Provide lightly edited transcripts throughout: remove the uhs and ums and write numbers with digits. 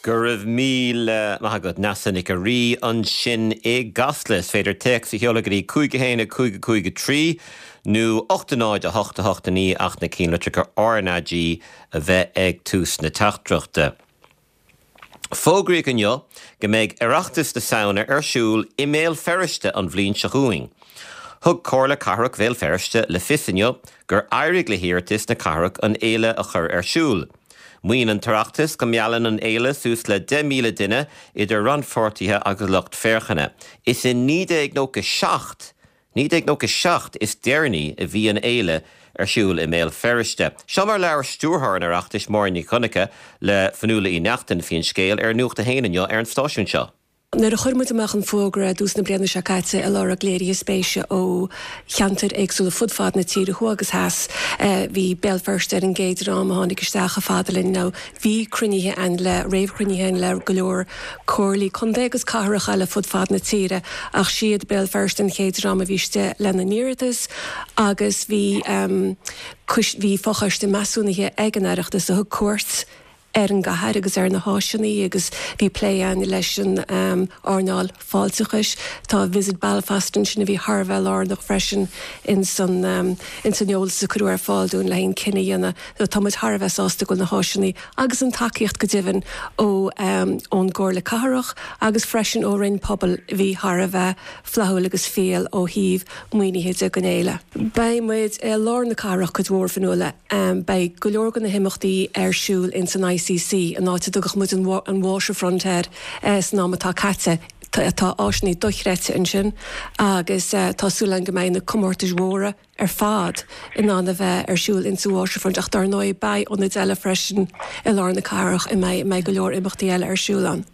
Go raibh míle maith agat, Neasa Nic a' Rí ansin i gCasla. Is féidir téacs a sheoladh go dtí 5 1 5 5 3 nó 8 0 8 8 9 ach na cinnlitreacha RnaG a bheith ag tús na teachtaireachta. Fógraíodh inniu go mbeidh Oireachtas na Samhna ar siúl i mBéal Feirste an bhliain seo chugainn. Thug Comhairle Cathrach Bhéal Feirste le fios inniu gur éirigh le hiarratas na cathrach an fhéile a chur ar siúl. Maíonn an tOireachtas go meallann an fhéile suas le 10,000 duine, idir rannpháirtithe agus lucht féachana. Is i 1997 1997 is deireanaí a bhí an fhéile ar siúl i mBéal Feirste. Seo mar labhair stiúrthóir an Oireachtais, Máire Nic Dhonncha, le Fionnuala Uí Neachtain faoin scéal ar Nuacht a hAon inniu ar an stáisiún seo. Nuair a chuir muid amach an fógra i dtús na bliana seo caite ag lorg léirithe spéise ó cheantair éagsúla fud fad na tíre, thuaidh agus theas, bhí Béal Feirste ar an gcéad dream a tháinig isteach chomh fada linn. Now bhí cruinnithe ann le, réamhchruinnithe ann le go leor comhairlí contae agus cathrach eile fud fad na tíre ach siad Béal Feirste an chéad dream a bhí istigh lena n-iarratas agus bhí bhí fochoiste measúnaithe ag an Oireachtas a thug cuairt ar an gcathair agus ar na háiseanna agus bhí plé ann leis an earnáil fáilteachais. Tá Visit Belfast ansin a bhí thar a bheith lárnach freisin ins an ins an eolas a cuireadh ar fáil dúinn le haghaidh an cinneadh a dhéanamh. So tá muid thar a bheith sásta go bhfuil na háiseanna agus an tacaíocht go deimhin ó ón gComhairle Cathrach agus freisin ó Roinn Pobal a bhí thar a bheith flaithiúil agus fial ó thaobh maoinithe de don fhéile. Beidh muid i lár na cathrach cuid mhór, Fionnuala. Beidh go leor de na himeachtaí ar siúl ins an ICC, an áit a dtugadh muid an Waterfront air san am atá caite. Tá áiseanna dochreidte ansin agus tá súil againn go mbeidh na comórtais mhóra, ar fad in ann a bheith ar siúl insa Waterfront ach dar ndóigh beidh ionaid eile freisin i lár na cathrach a mbeidh mbeidh go leor imeachtaí eile ar siúl ann.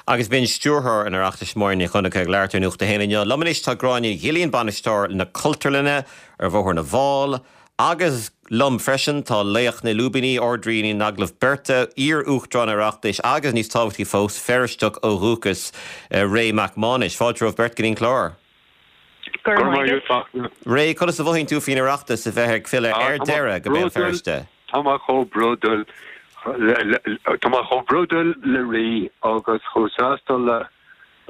Agus b'in Stiúrthóir an Oireachtais Máire Ní Dhonncha ag labhairt ar Nuacht a hAon inniu. Liom anois tá Gráinne Ghillian, Bainisteoir na Cultúrlainne ar Bhóthar na bhFál agus liom freisin tá laoch na lúibíní, Ard-Rí na n-agallamh beirte, iar-Uachtarán an Oireachtais agus níos tábhachtaí fós, Feirsteach ó dhúchas, Ray Mac Mánais. Fáilte romhaibh beirt go dtí an clár. Go raibh maith agat. Ray, conas a mhothaíonn tú faoin Oireachtas a bheith ag filleadh ar deireadh go Béal Feirste? Tá mé chomh bródúil, tá mé chomh bródúil le rí agus chomh sásta le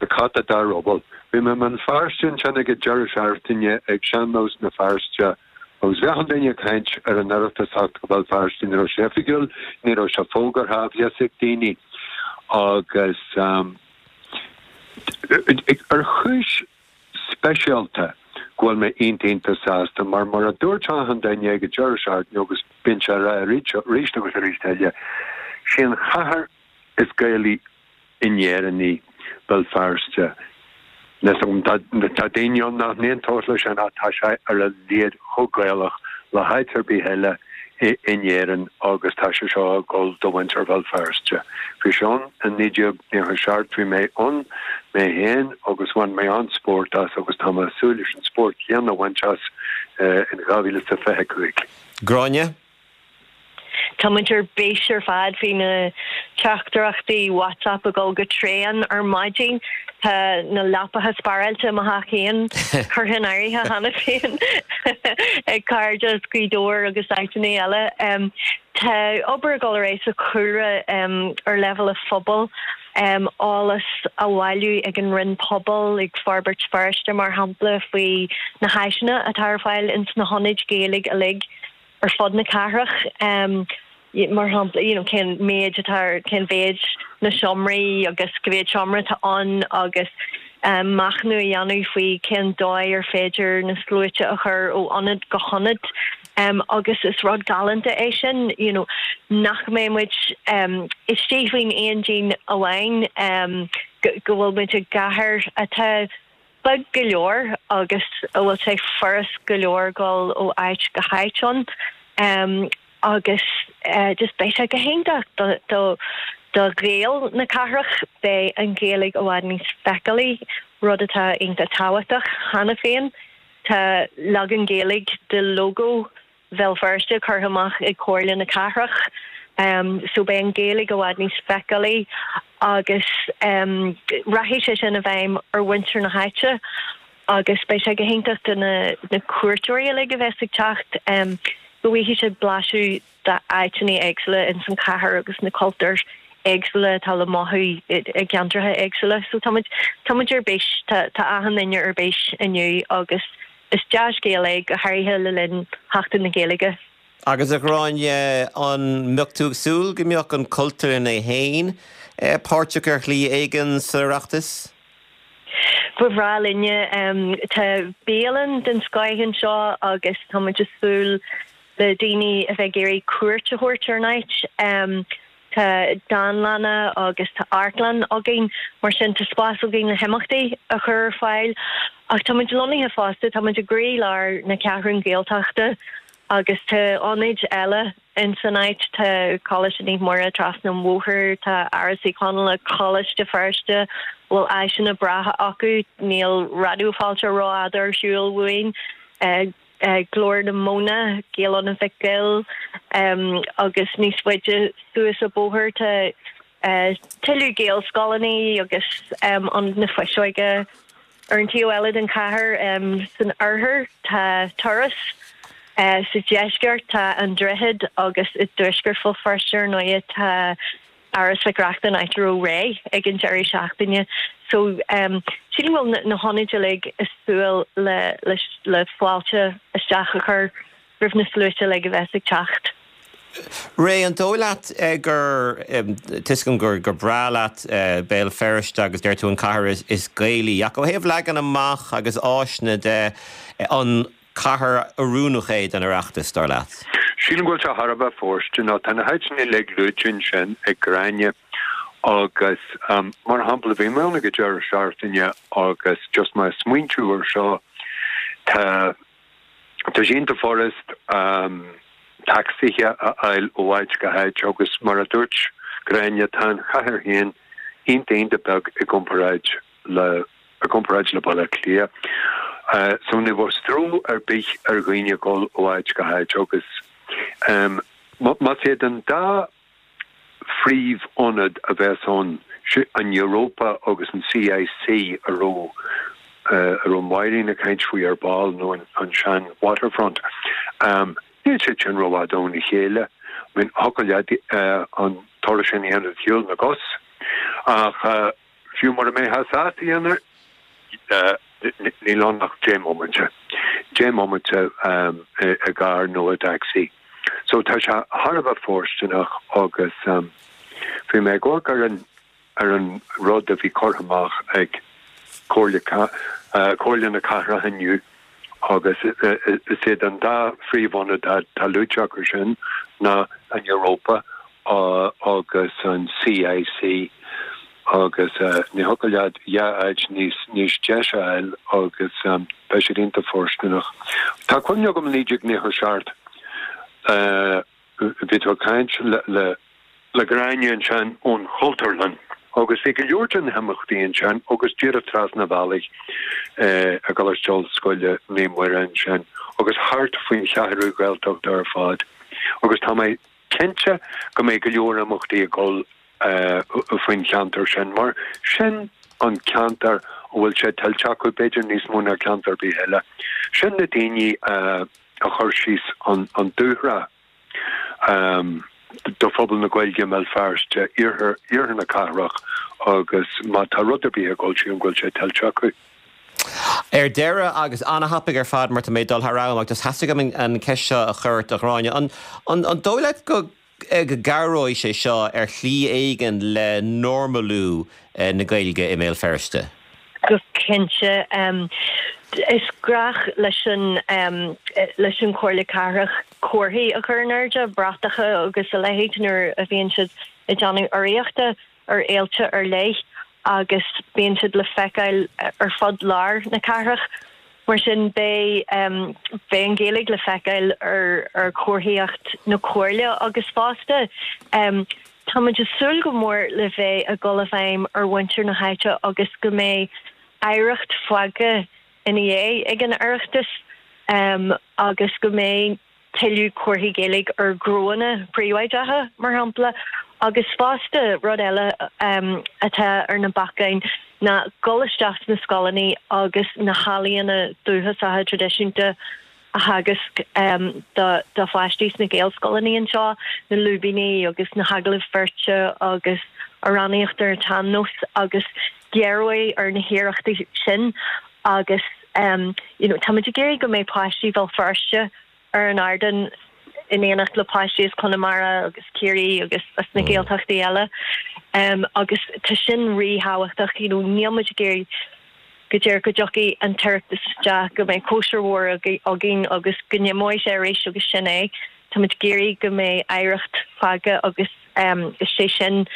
cat a dá ruball. Bhí mé i mBéal Feirste ansin ag an deireadh seachtaine ag Sean-Nós na Feirste agus bhí achan duine ag caint ar an Oireachtas theacht go Béal Feirste. Ní raibh sé oifigiúil, ní raibh sé fógartha, bhí fhios ag daoine agus. Ar chúis speisialta go bhfuil mé iontach iontach sásta mar mar a dúirt achan duine ag an deireadh seachtaine agus bíonn sé á rá arís agus arís eile, sí an chathair is Gaelaí in Éirinn í Béal Feirste. Tá daoine ann nach n-aontódh leis sin ach tá sé ar a laghad chomh Gaelach le háit ar bith eile in Éirinn agus tá sé seo ag dul do mhuintir Bhéal Feirste. Bhí sé ann i 1997, bhí mé ann mé féin agus bhain mé an-spórt as agus tá mé ag súil leis an spórt chéanna a bhaint as in 2025. Gráinne? Tá muid ar bís ar fad faoi na teachtaireachtaí WhatsApp ag dul go tréan ar maidin. Tá na leapacha spáráilte i mo theach féin curtha in áirithe cheana féin ag cairde as Gaoth Dobhair agus áiteanna eile. Tá obair ag dul ar aghaidh sa chúlra ar leibhéal an phobail, eolas á bhailiú ag an Roinn Pobal, ag Forbairt Feirste mar shampla, faoi na háiseanna atá ar fáil ins na hionaid Ghaeilge uilig. ar fud na cathrach, mar shampla, you know, cén méid atá ar, cén mhéid na seomraí agus cá mhéad seomra atá ann agus machnamh a dhéanamh faoi cén dóigh ar féidir na sluaite a chur ó ionad go hionad agus is rud galánta é sin, you know, nach mbeidh muid istigh faoin aon díon amháin, go bhfuil muid i gcathair atá beag go leor agus a bhfuil sé furast go leor dul ó áit go háit ann agus just beidh sé go hiontach do do Ghaeil na cathrach, beidh an Ghaeilge i bhfad níos feiceálaí, rud atá iontach tábhachtach cheana féin. Tá leagan Gaeilge de lógó Bhéal Feirste curtha amach ag Comhairle na Cathrach so beidh an Ghaeilge i bhfad níos feiceálaí agus rachaidh sé sin i bhfeidhm ar mhuintir na háite agus beidh sé go hiontach do na cuairteoirí uilig a bheas ag teacht go bhfaighidh siad blaiseadh d'áiteanna éagsúla ins an chathair agus na cultúir. éagsúla atá le mothú i gceantracha éagsúla. So tá muid, tá muid ar bís, tá, tá achan duine ar bís inniu agus is dea-scéal é, go háirithe le linn Sheachtain na Gaeilge. Agus a Ghráinne, an mbeadh tú ag súil go mbeadh an Chultúrlann é féin páirteach ar shlí éigin sa Oireachtas? Ba bhreá linne. Tá bialann den scoith anseo agus tá muid ag súil le daoine a bheith ag iarraidh cuairt a thabhairt ar an áit. Tá dánlanna agus tá amharclann againn, mar sin tá spás againn le himeachtaí a chur ar fáil. Ach tá muid lonnaithe fosta, tá muid i gcroílár na Ceathrún Gaeltachta agus tá ionaid eile ins an áit, tá Coláiste Naomh Muire trasna an bhóthair, tá Áras Uí Chonaill, Coláiste Feirste, a bhfuil áiseanna breátha acu, níl Raidió Fáilte rófhada ar shiúl uainn. Glór na Móna, Gael-Ionad Mhic Goill agus níos faide suas an bóthar tá tuilleadh Gaelscoileanna agus Ionad na Fuiseoige. Ar an taobh eile den chathair, san oirthear, tá Turas, sa deisceart tá An Droichead agus i dtuaisceart Bhéal Feirste, ar ndóighe, tá Áras Mhic Reachtain, áit a raibh Ray ag an deireadh seachtaine. So, sílim go bhfuil na hionaid uilig ag súil le le fáilte isteach a chur roimh na sluaite uilig a bheas ag teacht. Ray, an dóigh leat gur, tá 'fhios agam gur breá leat Béal Feirste agus deir tú an cathair is Gaelaí, ach ó thaobh leagan amach agus áiseanna de, an cathair oiriúnach é don Oireachtas, dar leat? Sílim go bhfuil sé thar a bheith fóirsteanach. Tá na háiteanna uilig luaite ansin ag Gráinne agus, mar shampla, bhí mé ann ag an deireadh seachtaine agus just mé ag smaointiú ar seo, tá, tá sé iontach furast tacsaithe a fháil ó áit go háit agus mar a dúirt Gráinne, tá an chathair féin iontach iontach beag i gcomparáid le i gcomparáid le Baile Átha Cliath. So ní bheadh stró ar bith ar dhaoine dhul ó áit go háit agus más iad an dá phríomh-ionad a bheas ann, an Europa agus an CIC a raibh a raibh Máirín ag caint faoi ar ball nó an sean Waterfront, níl siad sin rófhada óna chéile. I mean thiocfadh leat an turas sin a dhéanamh de shiúl na gcos ach Fiú mura mbeifeá sásta a dhéanamh, níl ann ach 10 mbomaite. 10 mbomaite i gcarr nó i dtacsaí. So tá sé thar a bheith fóirsteanach agus bhí mé ag amharc ar an ar an rud a bhí curtha amach ag Comhairle Comhairle na Cathrach inniu agus is iad an dá phríomhionad atá luaite acu sin ná an Europa agus an CIC agus ní thiocfadh leat dhá áit níos níos deise a fháil agus beidh siad iontach fóirsteanach. Tá cuimhne agam i 1997 bhí tú ag caint le le le Gráinne ansin ón Chultúrlann agus bhí go leor de na himeachtaí ansin agus díreach trasna an bhealaigh i gColáiste Ollscoile Naomh Muire ansin agus thart faoin Cheathrú Ghaeltachta ar fad agus tá mé cinnte go mbeidh go leor imeachtaí ag dul faoin cheantar sin mar sin an ceantar a bhfuil sé tuillte acu, b'fhéidir níos mó ná ceantar ar bith eile. Sin na daoine a chuir síos an dúshraith do phobal na Gaeilge i mBéal Feirste, iarthar na cathrach agus má tá rud ar bith ag dul, sílim go bhfuil sé tuillte acu. Ar deireadh, agus an-thapaidh ar fad mar tá mé ag dul thar am, ach just theastaigh uaim an cheist seo a chur ort, a Ghráinne, an dóigh leat go gcabhróidh sé seo ar shlí éigin le normalú na Gaeilge i mBéal Feirste? Go cinnte. Is gnách leis an leis an Chomhairle Cathrach comharthaí a chur in airde, bratacha agus a leithéid nuair a bhíonn siad ag déanamh urraíochta ar fhéilte ar leith agus bíonn siad le feiceáil ar fud lár na cathrach. Mar sin beidh beidh an Ghaeilge le feiceáil ar ar chomharthaíocht na Comhairle agus fosta tá muid ag súil go mór le bheith ag dul i bhfeidhm ar mhuintir na háite agus go mbeidh oidhreacht fágtha ina dhiaidh ag an Oireachtas agus go mbeidh tuilleadh comharthaí Gaeilge ar ghnónna príobháideacha, mar shampla. Agus fosta, rud eile atá ar na bacáin ná dul isteach sna scoileanna agus na healaíona dúchasacha traidisiúnta. a theagasc do pháistí sna Gaelscoileanna anseo, na lúibíní agus na hagallaimh bheirte agus amhránaíocht ar an tsean-nós agus géaróidh ar na hiarrachtaí sin agus you know táimid ag iarraidh go mbeidh páistí Bhéal Feirste ar an ardán in éineacht le páistí as Conamara agus Ciarraí agus as na Gaeltachtaí eile agus tá sin ríthábhachtach you know níl muid ag iarraidh go díreach go dtiocfaidh an tOireachtas isteach, go mbeidh cóisir mhór againn agus go n-imeoidh sé arís agus sin é. Táimid ag iarraidh go mbeidh oidhreacht fágtha agus is é sin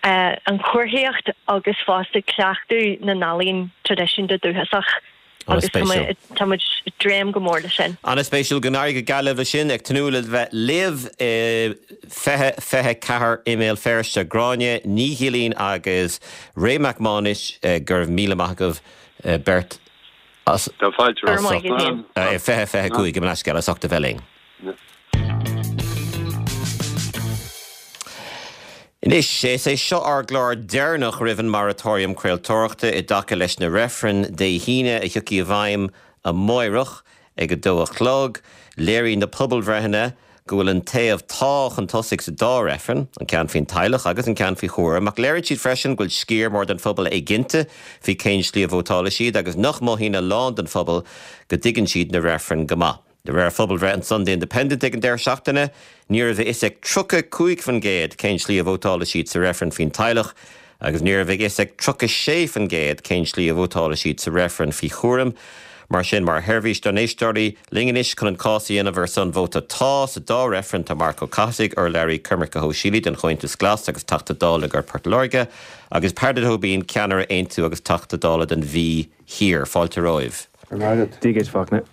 an chomharthaíocht agus fosta cleachtadh na n-ealaíon traidisiúnta dúchasach agus tá muid ag dréim go mór leis sin. An-spéisiúil. Go n-éirí go geal libh leis sin. Ag tnúth le bheith libh i 2024 i mBéal Feirste. Gráinne Ní Ghilín agus Ray Mac Mánais, go raibh míle maith agaibh beirt as Tá fáilte Go raibh maith agat féin. 2025 gabh mo leithscéal as ucht a bheith linn. Anois, is é seo ár gclár deireanach roimh an moratorium craoltóireachta i dtaca leis na reifrinn Dé hAoine a thiocfaidh i bhfeidhm amáireach ag a dó a chlog. Léirigh na pobalbhreitheanna go bhfuil an taobh 'Tá' chun tosaigh sa dá reifreann, an ceann faoin teaghlach agus an ceann faoi chúram, ach léirigh siad freisin go bhfuil sciar mór den phobal éiginnte faoi cén slí a vótálfaidh siad agus nach mothaíonn a lán den phobal go dtuigeann siad na reifrinn go maith. De réir phobalbhreith an Sunday Independent ag an deireadh seachtaine, ní raibh a fhios ag 35% cén slí a vótálfaidh siad sa reifreann faoin teaghlach agus ní raibh a fhios ag 36% cén slí a vótálfaidh siad sa reifreann faoi chúram. Mar sin, mar sheirbhís dár n-éisteoirí, linn anois chun an cás a dhéanamh ar son vóta 'Tá' sa dá reifreann tá Marc Ó Cathasaigh, urlabhraí coimirce shóisialaí don Chomhaontas Glas agus Teachta Dála do Phort Láirge, agus Peadar Tóibín, ceannaire Aontú agus Teachta Dála don Mhí Thiar. Fáilte romhaibh. Dia duit, Fachtna.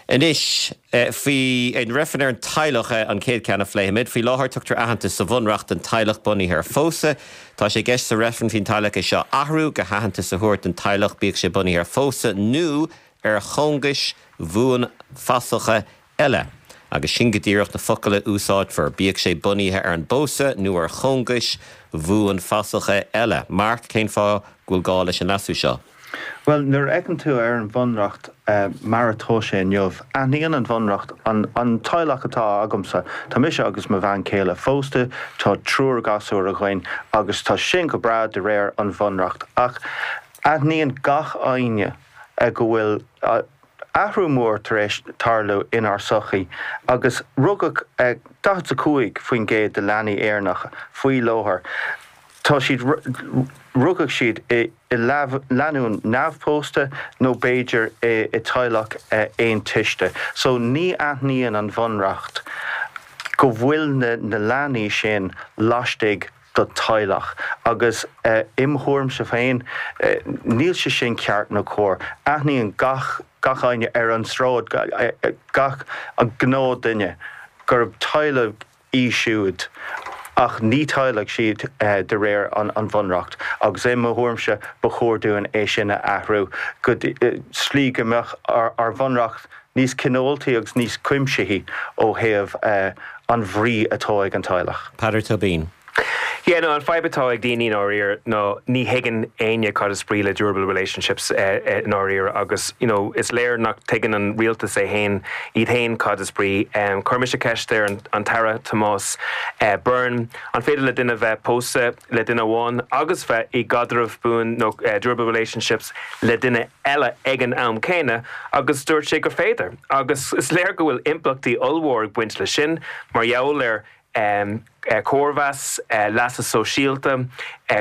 Anois, faoi an reifreann ar an teaghlach, an chéad cheann a phléifimid. Faoi láthair, tugtar aitheantas sa Bhunreacht don teaghlach bunaithe ar phósadh. Tá sé i gceist sa reifreann faoin teaghlach é seo a athrú, go haitheantas a thabhairt don teaghlach, bíodh sé bunaithe ar phósadh nó ar chóngais bhuanfhasacha eile. Agus sin go díreach na focail a úsáidfear, bíodh sé bunaithe ar an bpósadh nó ar chóngais bhuanfhasacha eile. Marc, cén fáth go bhfuil gá leis an leasú seo? Bhuel, nuair a fheiceann tú ar an Bhunreacht mar atá sé inniu, aithníonn an Bhunreacht an teaghlach atá agamsa. Tá mise agus mo bhean chéile phósta, tá triúr gasúr againn agus tá sin go breá de réir an Bhunreacht. Ach aithníonn gach éinne go bhfuil athrú mór tar éis tarlú inár sochaí agus rugadh 45% de leanaí Éireannacha faoi láthair, tá siad, rugadh siad i. i lánúin neamhphósta nó b'fhéidir i teaghlach aontuiste. So ní aithníonn an Bhunreacht go bhfuil na leanaí sin laistigh do teaghlach agus im thuairimse féin níl sé sin ceart nó cóir. Aithníonn gach gach éinne ar an sráid, gach gnáthdhuine gurb teaghlach í siúd, ach ní teaghlach siad de réir an Bhunreacht, agus i mo thuairimse ba chóir dúinn é sin a athrú go slí go mbeadh ár Bhunreacht níos cineáltaí agus níos cuimsithí ó thaobh an bhrí atá ag an teaghlach. Peadar Tóibín. Yeah, no, an fadhb atá ag daoine i ndáiríre ná ní thuigeann éinne cad is brí le durable relationships i ndáiríre agus, you know, is léir nach tuigeann an rialtas é fhéin, iad fhéin cad is brí. Chuir mise ceist ar an tAire Tomás Byrne, an féidir le duine bheith pósta le duine amháin agus bheith i gcaidreamh buan nó durable relationships le duine eile ag an am céanna agus dúirt sé gur féidir. Agus is léir go bhfuil impleachtaí ollmhór ag baint leis sin mar gheall ar cóimheas, leasa sóisialta,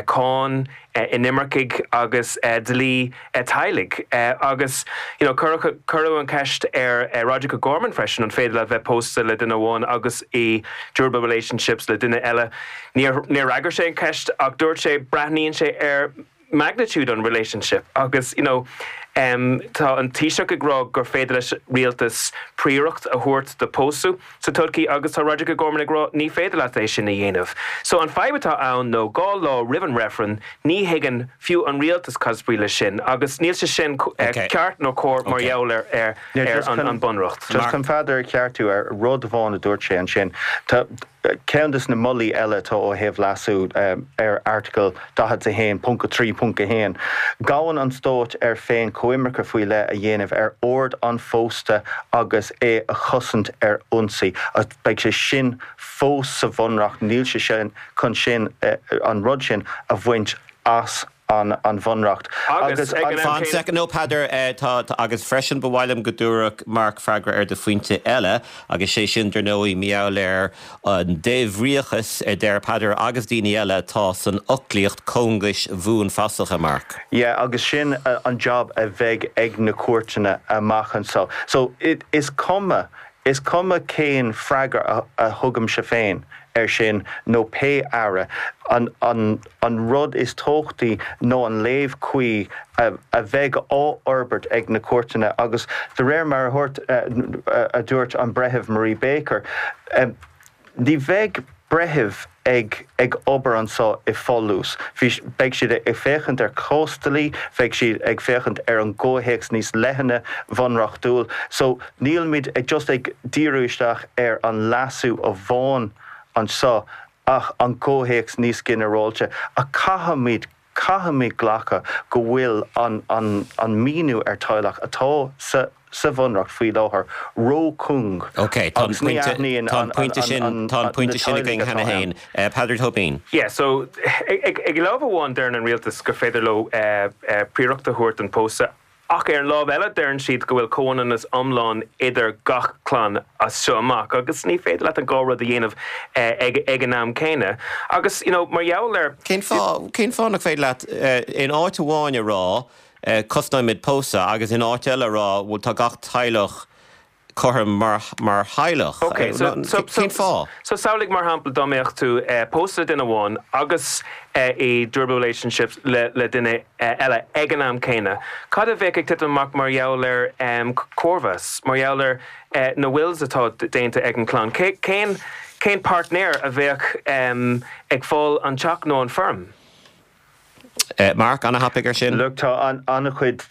cáin, inimircigh agus dlí teaghlaigh. Agus you know cuireadh an cheist ar Roderic O'Gorman freisin an féidir leat bheith pósta le duine amháin agus i durable relationships le duine eile. Níor fhreagair sé an cheist ach dúirt sé breathnaíonn sé ar magnitude an relationship agus you know tá an Taoiseach ag rá gur féidir leis rialtas príoracht a thabhairt do pósadh sa todhchaí agus tá Roderic O'Gorman ag rá ní féidir leat é sin a dhéanamh. So an fadhb atá ann nó 2 lá roimh an reifreann ní thuigeann fiú an rialtas cad is brí leis sin agus níl sé sin ceart nó cóir mar gheall ar ar an bunreacht. Just chun Peadar a cheartú ar rud amháin a dúirt sé ansin. Tá. Ceann de na moltaí eile atá ó thaobh leasú ar Airteagal 41.3.1, gabhann an Stát air féin coimirce faoi leith a dhéanamh ar ord an phósta agus é a chosaint ar ionsaí. Beidh sé sin fós sa Bhunreacht, níl sé sin chun sin, an rud sin a bhaint as an Bhunreacht. Agus ag an am Fan céanna. soicind, no Peadar, tá, tá, agus freisin ba mhaith liom go dtabharfadh Mark freagra ar do phointe eile, agus sé sin, dar ndóigh, mar gheall ar an débhríochas a deir Peadar agus daoine eile atá san fhoclaíocht cóngais bhuanfhasacha, Mark. Yeah, agus sin an job a bheidh ag na cúirteanna amach anseo. So, is cuma, is cuma cén freagra a thugaimse féin air sin nó pé aire, an, an, an rud is tábhachtaí ná an léamh cuí a bheidh á fhorbairt ag na cúirteanna agus de réir mar a dúirt a dúirt an Breitheamh Marie Baker, ní bheidh breithimh ag ag obair anseo i bhfolús. Beidh siad ag féachaint ar chásdlí, beidh siad ag féachaint ar an gcomhthéacs níos leithne bhunreachtúil. So nílimid ag just ag díriú isteach ar an leasú amháin anseo ach an comhthéacs níos ginearálta. Ach caithfimid, caithfimid glacadh go bhfuil an, an, an míniú ar teaghlach atá sa, sa Bhunreacht faoi láthair ró-chúng Ok, tá an agus ní pointe, aithníonn tá an an, pointe an, sin, an, tá an na pointe sin teaghlaigh againn atá cheana ann. féin. Peadar Tóibín. Yeah, so ag, ag lámh amháin deireann an rialtas gur féidir leo príoracht a thabhairt don phósadh Ach ar an lámh eile deireann siad go bhfuil comhionannas iomlán idir gach clann as seo amach agus ní féidir leat an dhá rud a dhéanamh ag ag an am céanna. Agus you know mar gheall ar. Cén fáth, cén fáth nach féidir leat in áit amháin a rá cosnóimid pósadh agus in áit eile a rá bhuel tá gach teaghlach cothrom mar mar theaghlach. Ok, so, so, so, Cén fáth? so samhlaigh mar shampla dá mbeadh tú pósta le duine amháin agus i durable relationships le le duine eile ag an am céanna. Cad a bheadh ag titim amach mar gheall ar chóimheas, mar gheall ar na wills atá déanta ag an clann? Cé, cén, cén páirtnéir a bheadh ag fáil an teach nó an feirm? Mark, ana-thapaidh ar sin. Look, tá an-chuid,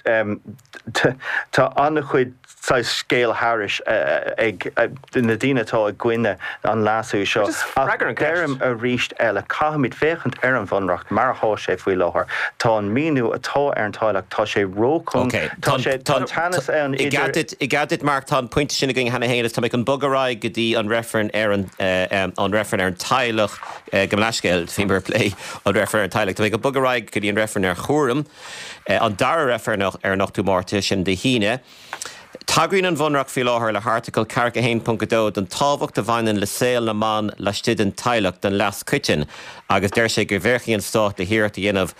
tá an-chuid saghas scéal thairis ag na daoine atá i gcoinne an leasú seo. Ach deirim arís eile, caithfimid féachaint ar an Bhunreacht mar atá sé faoi láthair. Tá an míniú atá ar an teaghlach, tá sé róchúng, tá sé, tá teannas ann idir. I gcead duit, Mark, tá an pointe sin againn cheana féin agus tá mé chun bogadh ar aghaidh go dtí an reifreann ar an, an reifreann ar an teaghlach. Gabh mo leithscéal, bhíomar ag plé an reifreann ar an teaghlach. Tá mé ag bogadh ar aghaidh go dtí an reifreann ar chúram, an dara reifreann ar an 8ú Márta, sin Dé hAoine. Tagraíonn an Bhunreacht faoi láthair le hAirteagal 41.2 don tábhacht a bhaineann le saol na mban laistigh den teaghlach don leas coiteann agus deir sé go bhféachfaidh an Stát le hiarracht a dhéanamh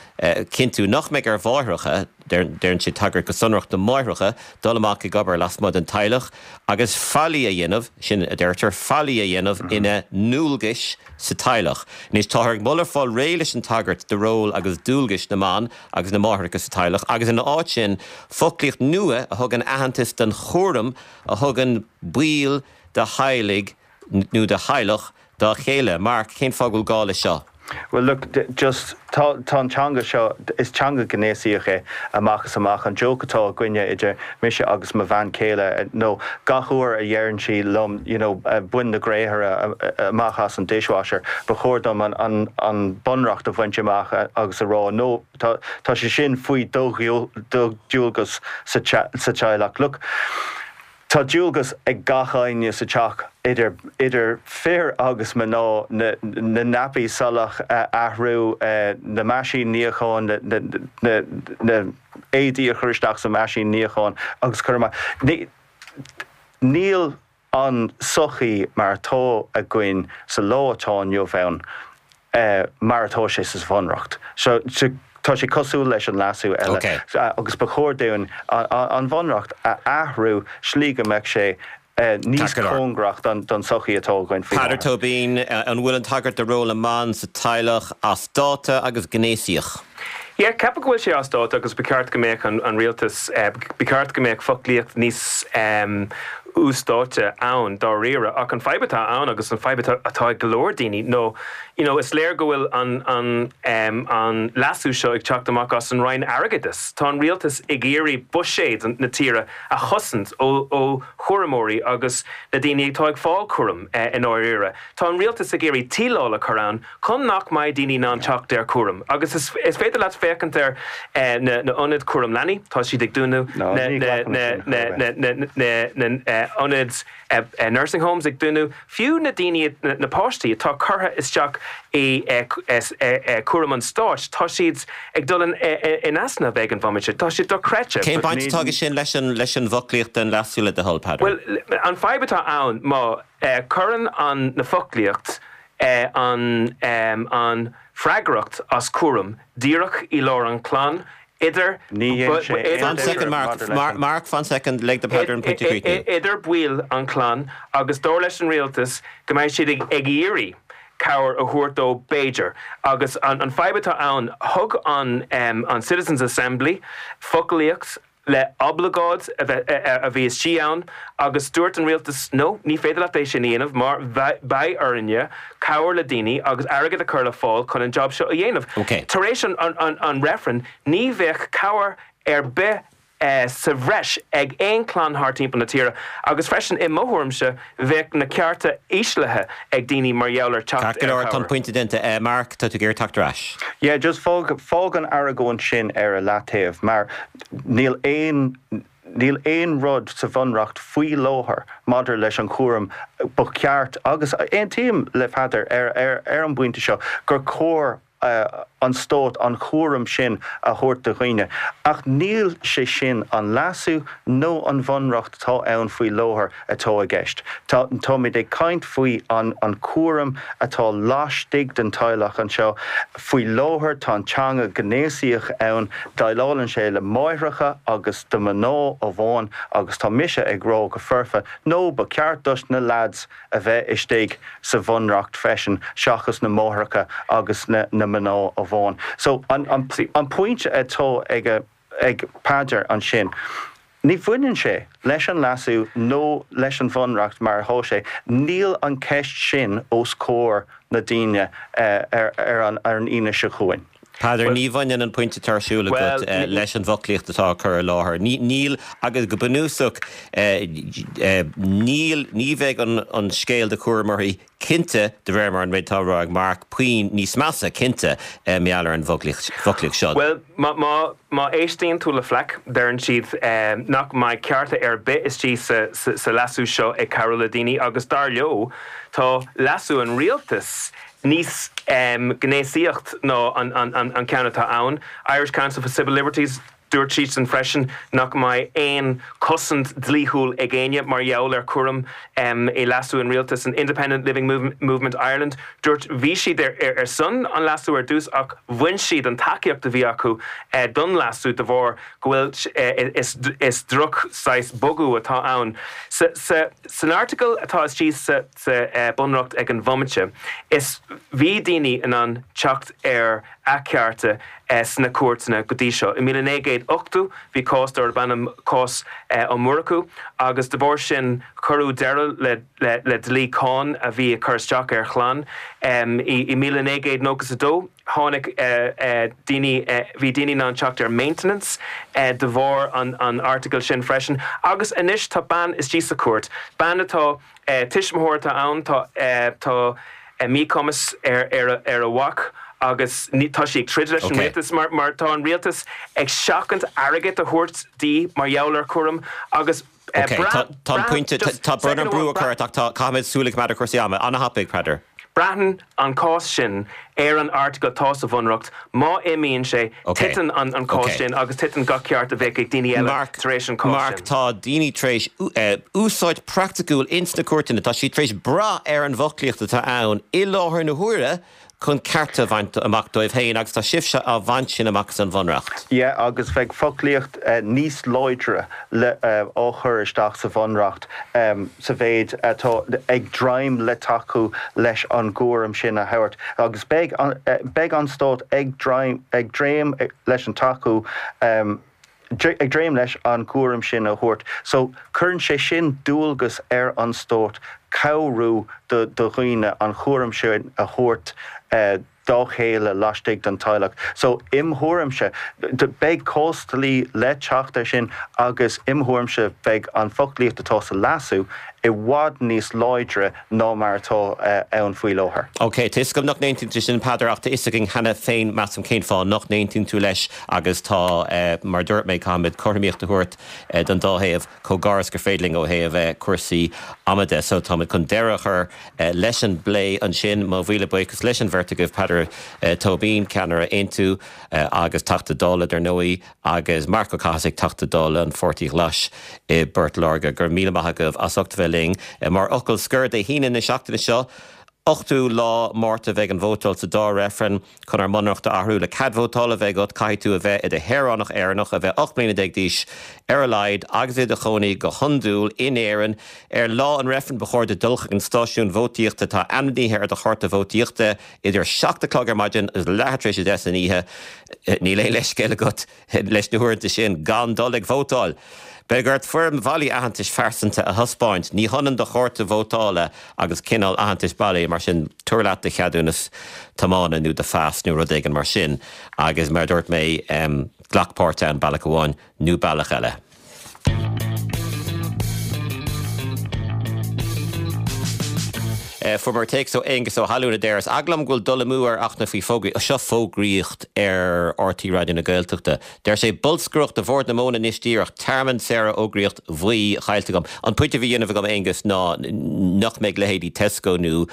cinntiú nach mbeidh ar mháithreacha, déanann sé tagairt go sonrach do mháithreacha, dul amach ag obair lasmuigh den teaghlach agus faillí a dhéanamh, sin a deirtear, faillí a dhéanamh ina ndualgais sa teaghlach. Anois, táthar ag moladh fáil réidh leis an tagairt do ról agus dualgais na mban agus na máithreacha sa teaghlach agus ina áit sin, foclaíocht nua a thugann aitheantas don chúram a thugann baill de theaghlaigh nó de theaghlach dá chéile. Mark, cén fáth go bhfuil gá leis seo? Well look, just, tá, tá an teanga seo, is teanga gnéasaíoch é amach is amach. An joke atá againne idir mise agus mo bhean chéile nó gach uair a dheireann sí liom you know bain na gréithre amach as an dishwasher, ba chóir dom an, an, an bunreacht a bhaint amach agus a rá no, tá, tá sé sin faoi do, do dualgas sa, sa teaghlach. Look, Tá dualgas ag gach éinne sa teach, idir idir fir agus mná, na na naipí salach a athrú, na meaisín níocháin, na na na éadaí a chur isteach sa meaisín níocháin agus cur amach. Ní níl an sochaí mar atá againn sa lá atá inniu ann mar atá sé sa Bhunreacht. So tá sé cosúil leis an leasú eile agus ba chóir dúinn an Bhunreacht a athrú slí go mbeadh sé níos cóngarach don tsochaí atá againn faoi láthair. Peadar Tóibín, an bhfuil an tagairt do ról na mban sa teaghlach as dáta agus gnéasaíoch? Yeah, ceapaim go bhfuil sé as dáta agus ba cheart go mbeadh an rialtas, ba cheart go mbeadh foclaíocht níos. uasdátaithe ann dáiríre ach an fadhb atá ann agus an fadhb atá ag go leor daoine nó you know is léir go bhfuil an an an leasú seo ag teacht amach as an Roinn Airgeadais. Tá an rialtas ag iarraidh buiséad na tíre a chosaint ó ó chúramóirí agus na daoine atá ag fáil cúram i ndáiríre. Tá an rialtas ag iarraidh tiaráil a chur ann chun nach mbeidh daoine in ann teacht ar chúram. Agus is féidir leat féachaint ar na hionaid cúram leanaí, tá siad ag dúnadh, na hionaid nursing homes ag dúnadh, fiú na daoine, na páistí atá curtha isteach i cúram an stáit, tá siad ag dul in easnamh ag an bhomaite. Tá siad dochreidte. Cén baint atá aige sin leis an bhfoclaíocht den leasú le do thoil, Peadar? Bhuel, an fadhb atá ann, má chuireann an na foclaíocht an an freagracht as cúram díreach i lár an chlann idir Ní dhein sé aon Fan soicind, Mark. Mark, fan soicind, lig do Peadar an pointe a chríochnú. idir baill an chlann agus dar leis an rialtas go mbeidh siad ag iarraidh cabhair a thabhairt dó b'fhéidir. Agus an fadhb atá ann, thug an an Citizens Assembly foclaíocht le oibleagáid a bheith a bhí istigh ann agus dúirt an rialtas no, ní féidir leat é sin a dhéanamh mar beidh orainne cabhair le daoine agus airgead a chur le fáil chun an job seo a dhéanamh. Tar éis an reifrinn ní bheadh cabhair ar bith sa bhreis ag aon chlann thar timpeall na tíre agus freisin i mo thuairimse bheadh na cearta íslithe ag daoine mar gheall ar teacht Ceart go ar leor, tá an chabhair. pointe déanta. Mark, tá tú ag iarraidh teacht ar ais. Yeah, just fág, fág an argóint sin ar a leataobh mar níl aon, níl aon rud sa Bhunreacht faoi láthair maidir leis an chúram ba cheart, agus aontaím le Peadar ar, ar, ar an bpointe seo, gur chóir an stát an chúram sin a thabhairt do dhaoine. Ach níl sé sin an leasú nó an bhunreacht atá ann faoi láthair atá i gceist. Tá, táimid ag caint faoi an, an cúram atá laistigh den teaghlach anseo. Faoi láthair tá an teanga gnéasaíoch ann, déileálann sé le máithreacha agus do mhná amháin agus tá mise ag rá go foirfe, no, ba cheart dos na leaids a bheith istigh sa bhunreacht freisin seachas na máithreacha agus na mná amháin. So an an pointe atá ag ag Peadar ansin, ní bhaineann sé leis an leasú nó leis an bhunreacht mar atá sé, níl an ceist sin os comhair na daoine ar ar an Aoine seo chugainn. Peadar, ní bhaineann an pointe atá ar siúl agat leis an bhfoclaíocht atá á cur i láthair. Níl, agus go bunúsach, níl, ní bheidh an scéal do chúramóirí cinnte, de réir mar an méid atá á rá ag Mark, puinn níos measa, cinnte, mar gheall ar an bhfoclaíocht seo. Bhuel, má, má éistíonn tú le FLAC, deireann siad nach mbeidh cearta ar bith istigh sa, sa leasú seo ag cabhrú le daoine agus dar leo, tá leasú an rialtais níos gnéasaíocht ná an ceann atá ann. Irish Council for Civil Liberties, dúirt siadsan freisin nach mbeidh aon chosaint dlíthiúil ag éinne mar gheall ar chúram i leasú an rialtais. An Independent Living Movement Ireland, dúirt, bhí siad ar son an leasú ar dtús ach bhain siad an tacaíocht a bhí acu don leasú de bharr go bhfuil is droch saghas bogadh atá ann. San airteagal atá istigh sa. sa Bunreacht ag an bhomaite is bhí daoine in ann teacht ar a cearta sna cúirteanna go dtí seo. I 1980 bhí cás darb ainm cás Ó Murchú agus de bharr sin cuireadh deireadh le le dlí cáin a bhí ag cur isteach ar chlann. I 1992 tháinig daoine bhí daoine in ann teacht ar maintenance de bharr an airteagail sin freisin agus anois tá bean istigh sa chúirt, bean atá Tuismitheoir atá ann, tá tá míchumas ar ar a mhac agus tá sí ag troid leis an rialtas mar mar tá an rialtas ag seachaint airgead a thabhairt di mar gheall ar chúram agus Ok, tá tá an pointe tá brón orm brú a chur ort ach tá caithfimid súil a choimeád ar chúrsaí ama. An-thapaidh, Peadar. Braitheann an cás sin ar an airteagal atá sa Bhunreacht. Má imíonn sé, titeann an cás sin agus titeann gach ceart a bheadh ag daoine eile tar éis an cás sin. Mark, tá daoine tar éis úsáid praiticiúil ins na cúirteanna, tá siad tar éis brath ar an bhfoclaíocht atá ann i láthair na huaire chun cearta a bhaint amach dóibh féin agus tá sibhse á bhaint sin amach as an Bhunreacht. Yeah, agus bheadh foclaíocht níos láidre le á chur isteach sa Bhunreacht sa mhéid atá ag dréim le tacú leis an gcúram sin a thabhairt agus beidh beidh an Stát ag dréim ag dréim leis an tacú. Ag dréim leis an gcúram sin a thabhairt. So, cuireann sé sin dualgas ar an stát cabhrú do dhaoine an chúram sin a thabhairt dá chéile laistigh den teaghlach. So, im thuairimse, beidh cásdlí le teacht ar sin agus im thuairimse beidh an foclaíocht atá sa leasú i bhfad níos láidre ná mar atá ann faoi láthair. Ok, tá 'fhios agam nach n-aontaíonn tú sin, Peadar, ach tá 'fhios againn cheana féin, measaim, cén fáth nach n-aontaíonn tú leis agus tá, mar a dúirt mé, caithfimid cothromaíocht a thabhairt don dá thaobh chomh gar is gur féidir linn ó thaobh cúrsaí ama de. So, táimid chun deireadh a chur leis an bplé ansin. Mo mhíle buíochas leis an bheirt agaibh, Peadar Tóibín, ceannaire Aontú agus Teachta Dála, dar ndóigh, agus Marc Ó Cathasaigh, Teachta Dála an Pháirtí Ghlais i bPort Láirge. Go raibh míle maith agaibh as ucht a bheith linn. Mar fhocal scoir, Dé hAoine na seachtaine seo, 8ú lá Márta, bheidh an vótáil sa dá reifreann chun ár mBunreacht a athrú. Le cead vótála a bheith agat, caithfidh tú a bheith i do shaoránach Éireannach, a bheith 18 mbliana d'aois ar a laghad agus i do chónaí go hiondúil in Éirinn. Ar lá an reifrinn, ba chóir duit dul chuig an stáisiún vótaíochta atá ainmnithe ar do chárta vótaíochta. Idir 7 a chlog ar maidin agus leathuair tar éis 10 san oíche, níl aon leithscéal agat leis na huaireanta sin gan dul ag vótáil. Beidh ort foirm bhailí aitheantais phearsanta a thaispeáint. Ní hionann do chárta vótála agus cineál aitheantais bailí, mar sin tabhair leat do cheadúnas tiomána nó do phas nó rud éigin mar sin agus mar a dúirt mé, glac páirt ann bealach amháin nó bealach eile. Fuaireamar téacs ó Aonghus Ó hAlúin a deir, Is eagal liom go bhfuil dul amú ar Fhachtna faoi fógraí. Seo fógraíocht ar RTÉ Raidió na Gaeltachta. Deir sé, Bolscaireacht do Bhord na Móna anois díreach, tearmann Sarah fhógraíocht bhuí chaillte agam. An pointe a bhí á dhéanamh agam Aonghus ná nach mbeidh leithéidí Tesco nó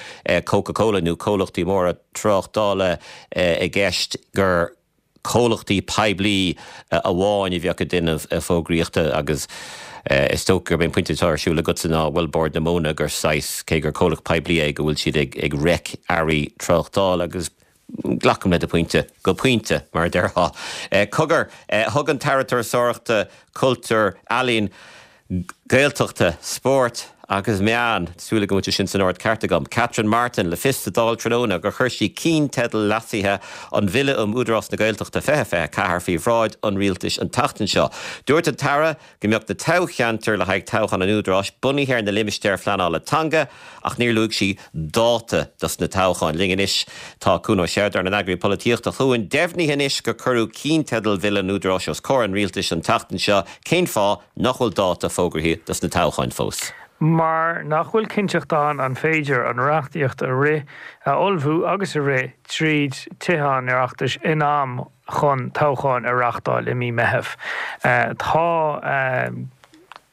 Coca Cola nó comhlachtaí móra tráchtála i gceist gur comhlachtaí poiblí amháin a bheadh ag déanamh fógraíochta agus is dócha gurb é an pointe atá ar siúl agatsa ná, bhuel, Bord na Móna, gur saghas, cé gur comhlacht poiblí é, go bhfuil siad ag reic earraí tráchtála agus glacaim le do phointe, go pointe, mar a déarfá. Cogar, thug an tAire Turasóireachta, Cultúir, Ealaíon, Gaeltachta, Spóirt agus Meán, súil agam go bhfuil sé sin san ord ceart agam, Catherine Martin, le fios sa Dáil tráthnóna gur chuir sí ceannteideal leasaithe an Bhille um Údarás na Gaeltachta 2024 faoi bhráid an Rialtais an tseachtain seo. Dúirt an tAire go mbeadh na toghcheantair le haghaidh toghchán an Údaráis bunaithe ar na limistéir phleanála teanga ach níor luaigh sí dáta dos na toghcháin. Linn anois tá Cuan Ó Seireadáin, an Eagraí Polaitíochta. A Chuain, deimhnithe anois gur cuireadh ceannteideal Bhille an Údaráis os comhair an Rialtais an tseachtain seo. Cén fáth nach bhfuil dáta fógraithe dos na toghcháin fós? Mar nach bhfuil cinnteacht ann an féidir an reachtaíocht a rith, a ullmhú agus a rith tríd Tithe an Oireachtais in am chun toghcháin a reachtáil i mí Meitheamh. Tá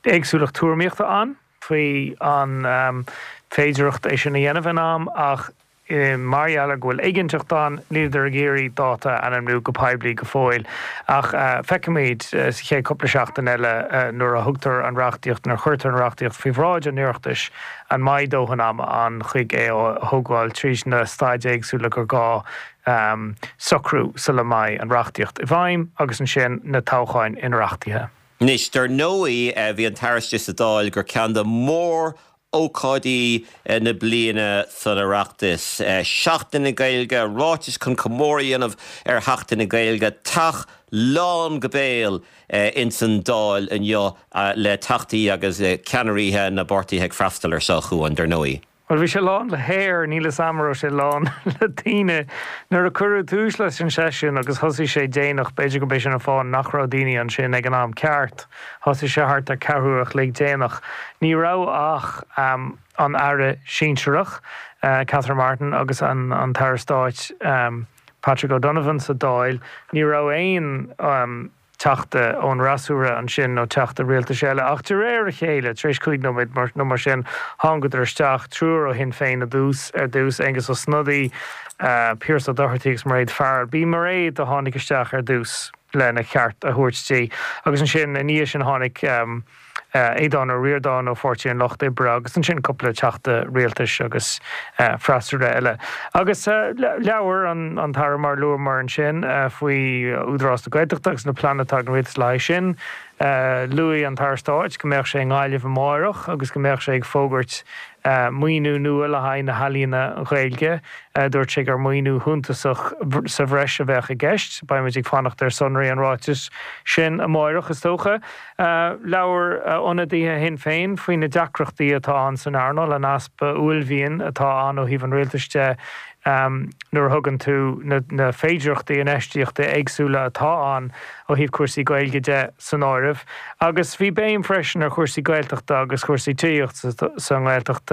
éagsúlacht tuairimíochta ann faoi an féidireacht é sin a dhéanamh in am ach Mar gheall ar go bhfuil éiginnteacht ann, níleadar ag iarraidh dáta a ainmniú go poiblí go fóill. Ach feicfimid sa chéad cúpla seachtain eile nuair a thugtar an reachtaíocht, nuair a chuirtear an reachtaíocht faoi bhráid an Oireachtais, an mbeidh dóthain ama ann chuig é a thógáil tríd na staid éagsúla gur gá socrú sula mbeidh an reachtaíocht i bhfeidhm agus ansin na toghcháin inoireachtaithe. Anois, dar ndóigh, bhí an tAire istigh sa Dáil gur ceann de mhór ócáidí na bliana san Oireachtas. Seachtain na Gaeilge, ráitis chun comóradh a dhéanamh ar Sheachtain na Gaeilge, teach lán go béal ins an Dáil inniu le teachtaí agus ceannairithe na bpáirtithe ag freastal ar seo, a Chuain, dar ndóigh. Bhuel, bhí sé lán le haer, níl 'fhios a'm an raibh sé lán le daoine. Nuair a cuireadh tús leis an seisiún agus thosaigh sé déanach, b'fhéidir gurb é sin an fáth nach raibh daoine ansin ag an am ceart. Thosaigh sé thart ar ceathrú a chloig déanach. Ní raibh ach an Aire sinsearach, Catherine Martin, agus an tAire Stáit, Patrick O'Donovan sa Dáil. Ní raibh aon Teachta ón fhreasúra ansin nó Teachta rialtais eile. Ach de réir a chéile, tar éis chúig nóiméad nó mar sin, thángadar isteach, triúr ó Shinn Féin ar dtús, ar dtús, Aengus Ó Snodaigh, Pearse Ó Dochartaigh agus Mairéad Farrell. B'í Mairéad a tháinig isteach ar dtús. lena ceart a thabhairt di. Agus ansin, ina dhiaidh sin, tháinig Aodhán Ó Ríordáin ó Pháirtí an Lucht Oibre agus ansin cúpla teachta rialtais agus freasúra eile. Agus labhair an tAire, mar a luamar ansin, faoi Údarás na Gaeltachta agus na pleananna atá ag an rialtas le haghaidh sin. Luaigh an tAire Stáit go mbeadh sé i nGaillimh amáireach agus go mbeadh sé ag fógairt maoiniú nua le haghaidh na healaíona Ghaeilge. Dúirt sé gur maoiniú shuntasach sa bhreis a bheadh i gceist. Beidh muid ag fanacht ar sonraí an ráitis sin amáireach, is dócha. Labhair ionadaithe Shinn Féin faoi na deacrachtaí atá ann san earnáil, an easpa uaillmhian atá ann ó thaobh an rialtais de nuair a thugann tú na féidearthachtaí infheistíochta éagsúla atá ann ó thaobh cúrsaí Gaeilge de san áireamh. Agus bhí béim freisin ar chúrsaí Gaeltachta agus chúrsaí tithíochta sa nGaeltacht.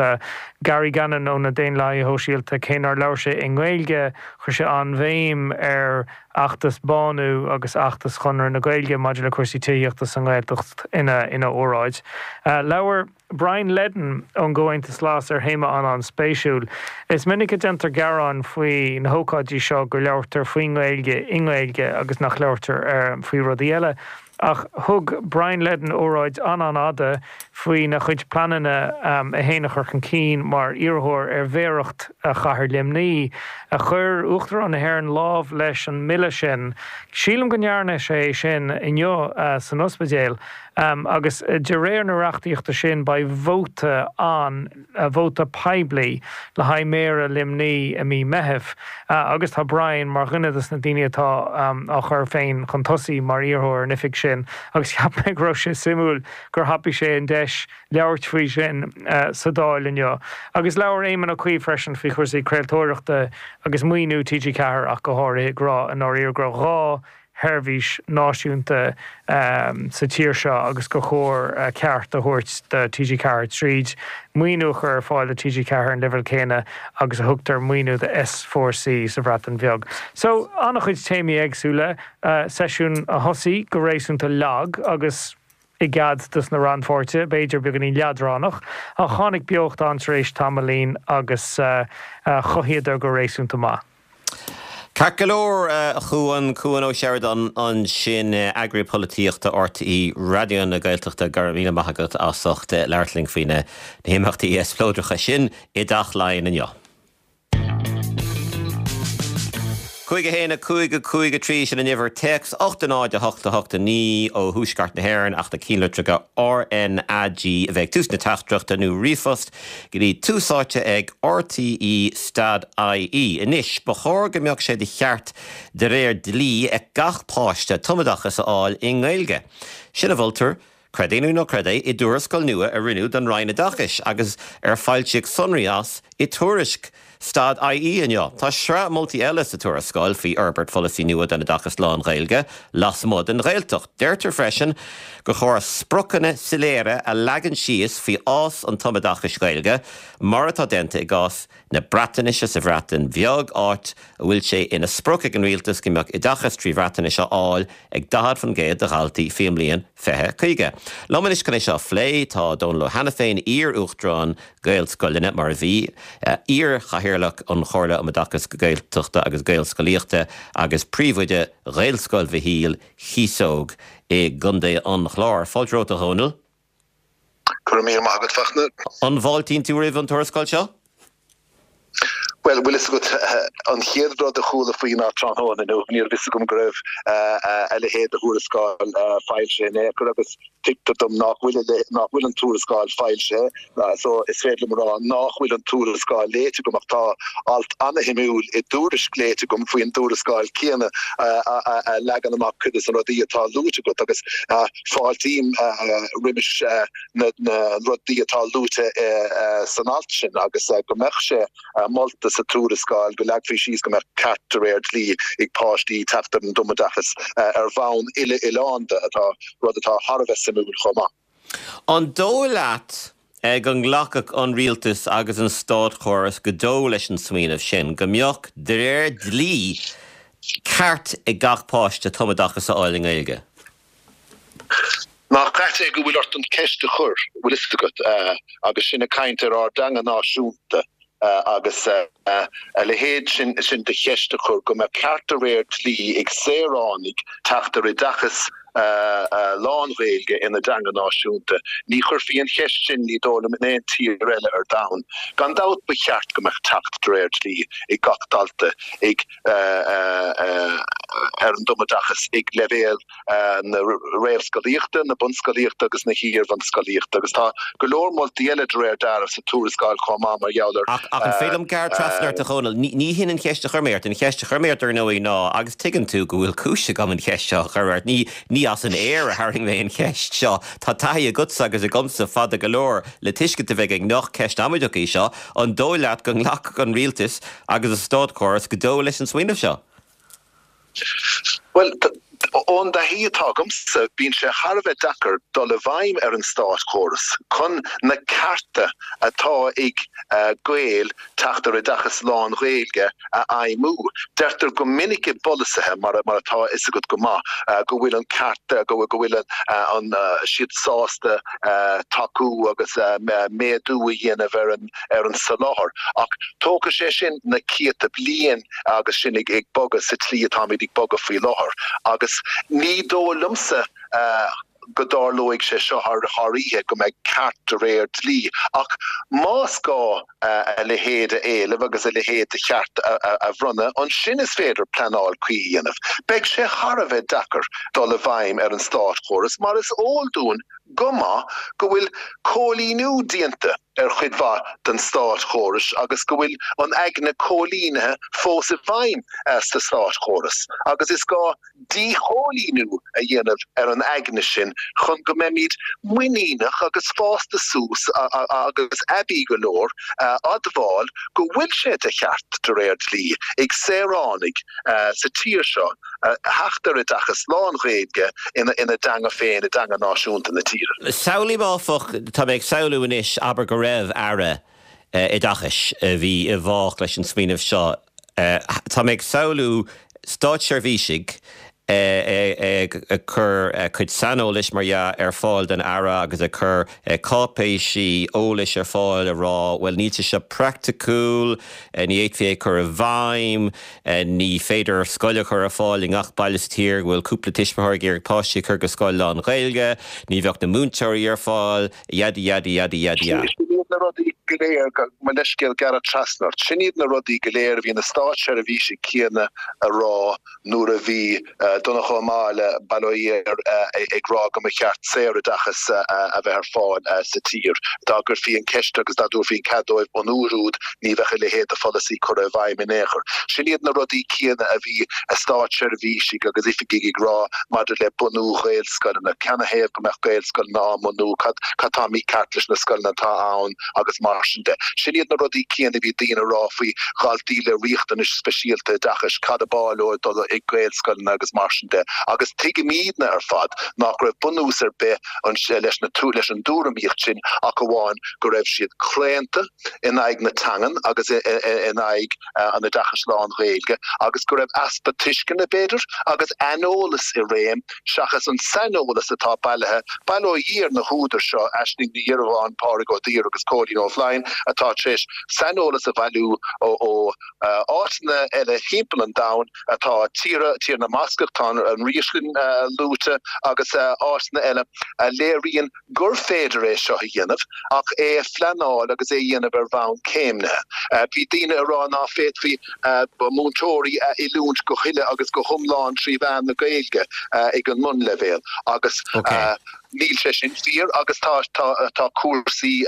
Gary Gannon ó na Daonlathaithe Shóisialta, cé nár labhair sé i nGaeilge, chuir sé an-bhéim ar fheachtas Bánú agus fheachtas Chonradh na Gaeilge maidir le cúrsaí tithíochta sa nGaeltacht ina óráid. Labhair Brian Leddin ón gComhaontas Glas ar théama an-an-spéisiúil. Is minic a déantar gearáin faoi na hócáidí seo go labhartar faoin nGaeilge i nGaeilge agus nach labhartar faoi rudaí eile. Ach thug Brian Leddin óráid an-an-fhada faoina chuid pleananna é féin a chur chun cinn mar iarrthóir ar mhéaracht chathair Luimnigh. Chuir Uachtarán na hÉireann lámh leis an mbille sin. Sílim go ndearna sé sin inniu san ospidéal. Agus de réir na reachtaíochta sin beidh vóta ann. vóta poiblí le haghaidh Méara Luimnigh i mí Meithimh agus tá Brian mar dhuine de na daoine atá á chur féin chun tosaigh mar iarrthóir ar an oifig sin agus cheap mé go raibh sé suimiúil gur thapaigh sé an deis labhairt faoi sin sa Dáil inniu. Agus labhair Éamon Ó Cuív freisin faoi chúrsaí craoltóireachta agus maoiniú TG4 ach go háirithe ag rá i ndáiríre go raibh gá sheirbhís náisiúnta sa tír seo agus gur chóir ceart a thabhairt do TG4 tríd maoiniú a chur ar fáil do TG4 ar an leibhéal céanna agus a thugtar maoiniú do S4C sa Bhreatain Bheag. So, an-chuid téamaí éagsúla, seisiún a thosaigh go réasúnta lag agus i gcead dos na rannpháirtithe, b'fhéidir beagáinín leadránach, ach tháinig beocht ann tar éis tamaillín agus chothaíodar go réasúnta maith. Ceart go leor, a Chuan, Cuan Ó Seireadáin ansin, eagraí polaitíochta RTÉ Raidió na Gaeltachta, go raibh míle maith agat as ucht labhairt linn faoi na himeachtaí spleodracha sin i dTeach Laighean inniu. 5 1 5 5 3 sin an uimhir téacs 8 0 8 8 9 ó thuaisceart na hÉireann ach na cinnlitreacha RnaG a bheith ag tús na teachtaireachta nó ríomhphost go dtí tús áite ag RTÉ stad IE. Anois, ba chóir go mbeadh sé de cheart de réir dlí ag gach páiste tumoideachas a fháil i nGaeilge. Sin a mholtar, creid é nó ná creid é, i dtuarascáil nua a rinneadh don Roinn Oideachais agus ar foilsíodh sonraí as i Tuairisc stad IE inniu. Tá sraith moltaí eile sa tuarascáil faoi fhorbairt pholasaí nua don oideachas lán-Ghaeilge lasmuigh den Ghaeltacht. Deirtear freisin gur chóir spriocanna soiléire a leagan síos faoi fhás an tumoideachais Ghaeilge, mar atá déanta i gcás na Breatnaise sa Bhreatain Bheag, áit a bhfuil sé ina sprioc ag an rialtas go mbeadh oideachas trí Bhreatnais á fháil ag 40% de dhaltaí faoin mbliain 2050. Liom anois chun é seo a phlé tá Dónal Ó hAiniféin, iar-uachtarán Gaelscoileanna, mar a bhí, iar-chathaoirleach an Chomhairle um Oideachas Gaeltachta agus Gaelscolaíochta agus príomhoide Ghaelscoil Mhichíl, Chíosóg i gContae an Chláir. Fáilte romhat, a Dhónaill. Go raibh míle maith agat, Fachtna. An bhfáiltíonn tú roimh an tuarascáil seo? Bhuel, bhfuil fhios agat, an chéad rud a chuala faoi ná tráthnóna inniu, ní raibh fhios agam go raibh a leithéid de thuarascáil foilsithe in aon chor agus tuigtear dom nach bhfuil, nach bhfuil an tuarascáil foilsithe so is féidir liom a rá nach bhfuil an tuarascáil léite agam ach tá alt ana-shuimiúil i dTuairisc léite agam faoin dtuarascáil céanna a leagann amach cuid de na rudaí atá luaite agat agus fáiltím roimis na rudaí atá luaite san alt sin agus go mbeadh sé molta sa tuarascáil go leagfaí síos go mbeadh ceart de réir dlí ag páistí teacht ar an dtumoideachas ar bhonn uile-oileánda, atá, rud atá thar a bheith suimiúil chomh maith. An dóigh leat go nglacfadh an rialtas agus an státchóras go deo leis an smaoineamh sin, go mbeadh, de réir dlí, ceart ag gach páiste tumoideachas a fháil i nGaeilge? Nach ait é go bhfuil ort an ceist a chur, bhfuil fhios agat, agus sinn ag caint ar ár dteanga náisiúnta agus a leithéid sin de cheist a chur, go mbeadh ceart de réir dlí ag saoránaigh teacht ar oideachas. Lán-Ghaeilge ina dteanga náisiúnta. Ní chuirfí an cheist sin, ní dóigh liom, in aon tír eile ar domhan. Gan dabht ba cheart go mbeadh teacht de réir dlí ag gach dalta ag ar an dtumoideachas ag leibhéal na réamhscolaíochta, na bunscolaíochta agus na hiar-bhunscolaíochta agus tá go leor moltaí eile de réir dealraimh sa tuarascáil chomh maith mar gheall ar Ach an féidir liom gearradh trasna ort, a Dhónaill? Ní hin an cheist a chuir mé ort. An cheist a chuir mé ort, ar ndóigh, ná, agus tuigeann tú go bhfuil cúis agam an cheist seo a chur ort, ní ní as an aer a tharraing mé an cheist seo. Tá taithí agatsa agus agamsa fada go leor le tuiscint a bheith againn nach ceist amaideach í seo. An dóigh leat go nglacfadh an rialtas agus an státchóras go deo leis an smaoineamh seo? Bhuel, ón dtaithí atá agamsa, bíonn sé thar a bheith deacair dul i bhfeidhm ar an státchóras chun na cearta atá ag Gaeil teacht ar oideachas lán-Ghaeilge a fheidhmiú. Deirtear go minic i bpolasaithe, mar atá a fhios agat go maith, go bhfuil an ceart, go bhfuil an siad sásta tacú agus méadú a dhéanamh ar an ar an soláthar. Ach tógfaidh sé sin na céadta bliain agus sinn ag bogadh sa tslí atáimid ag bogadh faoi láthair. Agus ní dóigh liomsa go dtarlóidh sé seo thar oíche, go mbeidh ceart de réir dlí. Ach más gá a leithéid a éileamh agus a leithéid de cheart a bhronnadh, ansin is féidir pleanáil cuí a dhéanamh. Beidh sé thar a bheith deacair dul i bhfeidhm ar an státchóras mar is eol dúinn go maith go bhfuil cóilíniú déanta ar chuid mhaith den státchóras agus go bhfuil an aigne cóilínithe fós i bhfeidhm sa státchóras agus is gá díchóilíniú a dhéanamh ar an aigne sin chun go mbeimid muiníneach agus fásta suas agus aibí go leor a admháil go bhfuil sé de cheart de réir dlí ag saoránaigh sa tír seo theacht ar oideachas lán-Ghaeilge ina dteanga féin, i dteanga náisiúnta na tíre. Samhlaím áfach, tá mé ag samhlú anois, abair go raibh Aire Oideachais a bhí i bhfách leis an smaoineamh seo, tá mé ag samhlú státseirbhísigh ag cur cuid saineolais, mar dhea, ar fáil don Aire agus ag cur cáipéisí eolais ar fáil ag rá, bhuel níl sé seo praiticiúil, ní fhéadfaí é a chur i bhfeidhm. Ní féidir scoil a chur ar fáil i ngach baile sa tír go bhfuil cúpla tuismitheoir ag iarraidh páistí a chur go scoil lán-Ghaeilge. Ní bheadh na múinteoirí ar fáil, yada yada yada yada yada. Sin iad na rudaí go léir, mo leithscéal gearradh trasna ort, sin iad na rudaí go léir a bhí na státseirbhísigh céanna a rá nuair a bhí Donncha Ó Máille, bail ó Dhia air, ag rá go mba cheart saoroideachas a bheith ar fáil sa tír. Dá gcuirfí an cheist agus dá dtabharfaí an cead dóibh an uair úd, ní bheadh a leithéid de pholasaí curtha i bhfeidhm in aon chor. Sin iad na rudaí céanna a bhí státseirbhísigh agus oifigigh ag rá maidir le bunú Ghaelscoileanna. Canathaobh go mbeadh Gaelscoileanna á mbunú? Cad tá mícheart leis na scoileanna atá ann? Agus mar sin de. Sin iad na rudaí céanna a bhí daoine a rá faoi dhaltaí le riachtanais speisialta oideachais, cad ab áil leo dul ag Gaelscoileanna agus mar sin de. Agus tuigimidne ar fad nach raibh bunús ar bith leis na leis an dtuairimíocht sin ach amháin go raibh siad claonta in aghaidh na teangan agus in aghaidh an oideachais lán-Ghaeilge agus go raibh easpa tuisceana, b'fhéidir, agus aineolas i réim seachas an saineolas atá bailithe, bail ó Dhia ar na húdair seo, Aisling Ní Dhiorbháin, Pádraig Ó Duibhir agus Cóilín Ó Floinn, atá tar éis saineolas a bhailiú ó áiteanna eile thimpeall an domhain, atá tíortha, Tír na mBascach, tá an Fhríoslainn luaite, agus áiteanna eile, a léiríonn gur féidir é seo a dhéanamh ach é a phleanáil agus é a dhéanamh ar bhonn céimnithe. Bhí daoine ag rá ná féadfaí múinteoirí a oiliúint go huile agus go hiomlán trí mheán na Gaeilge ag an mbunleibhéal agus níl sé sin fíor agus tá cúrsaí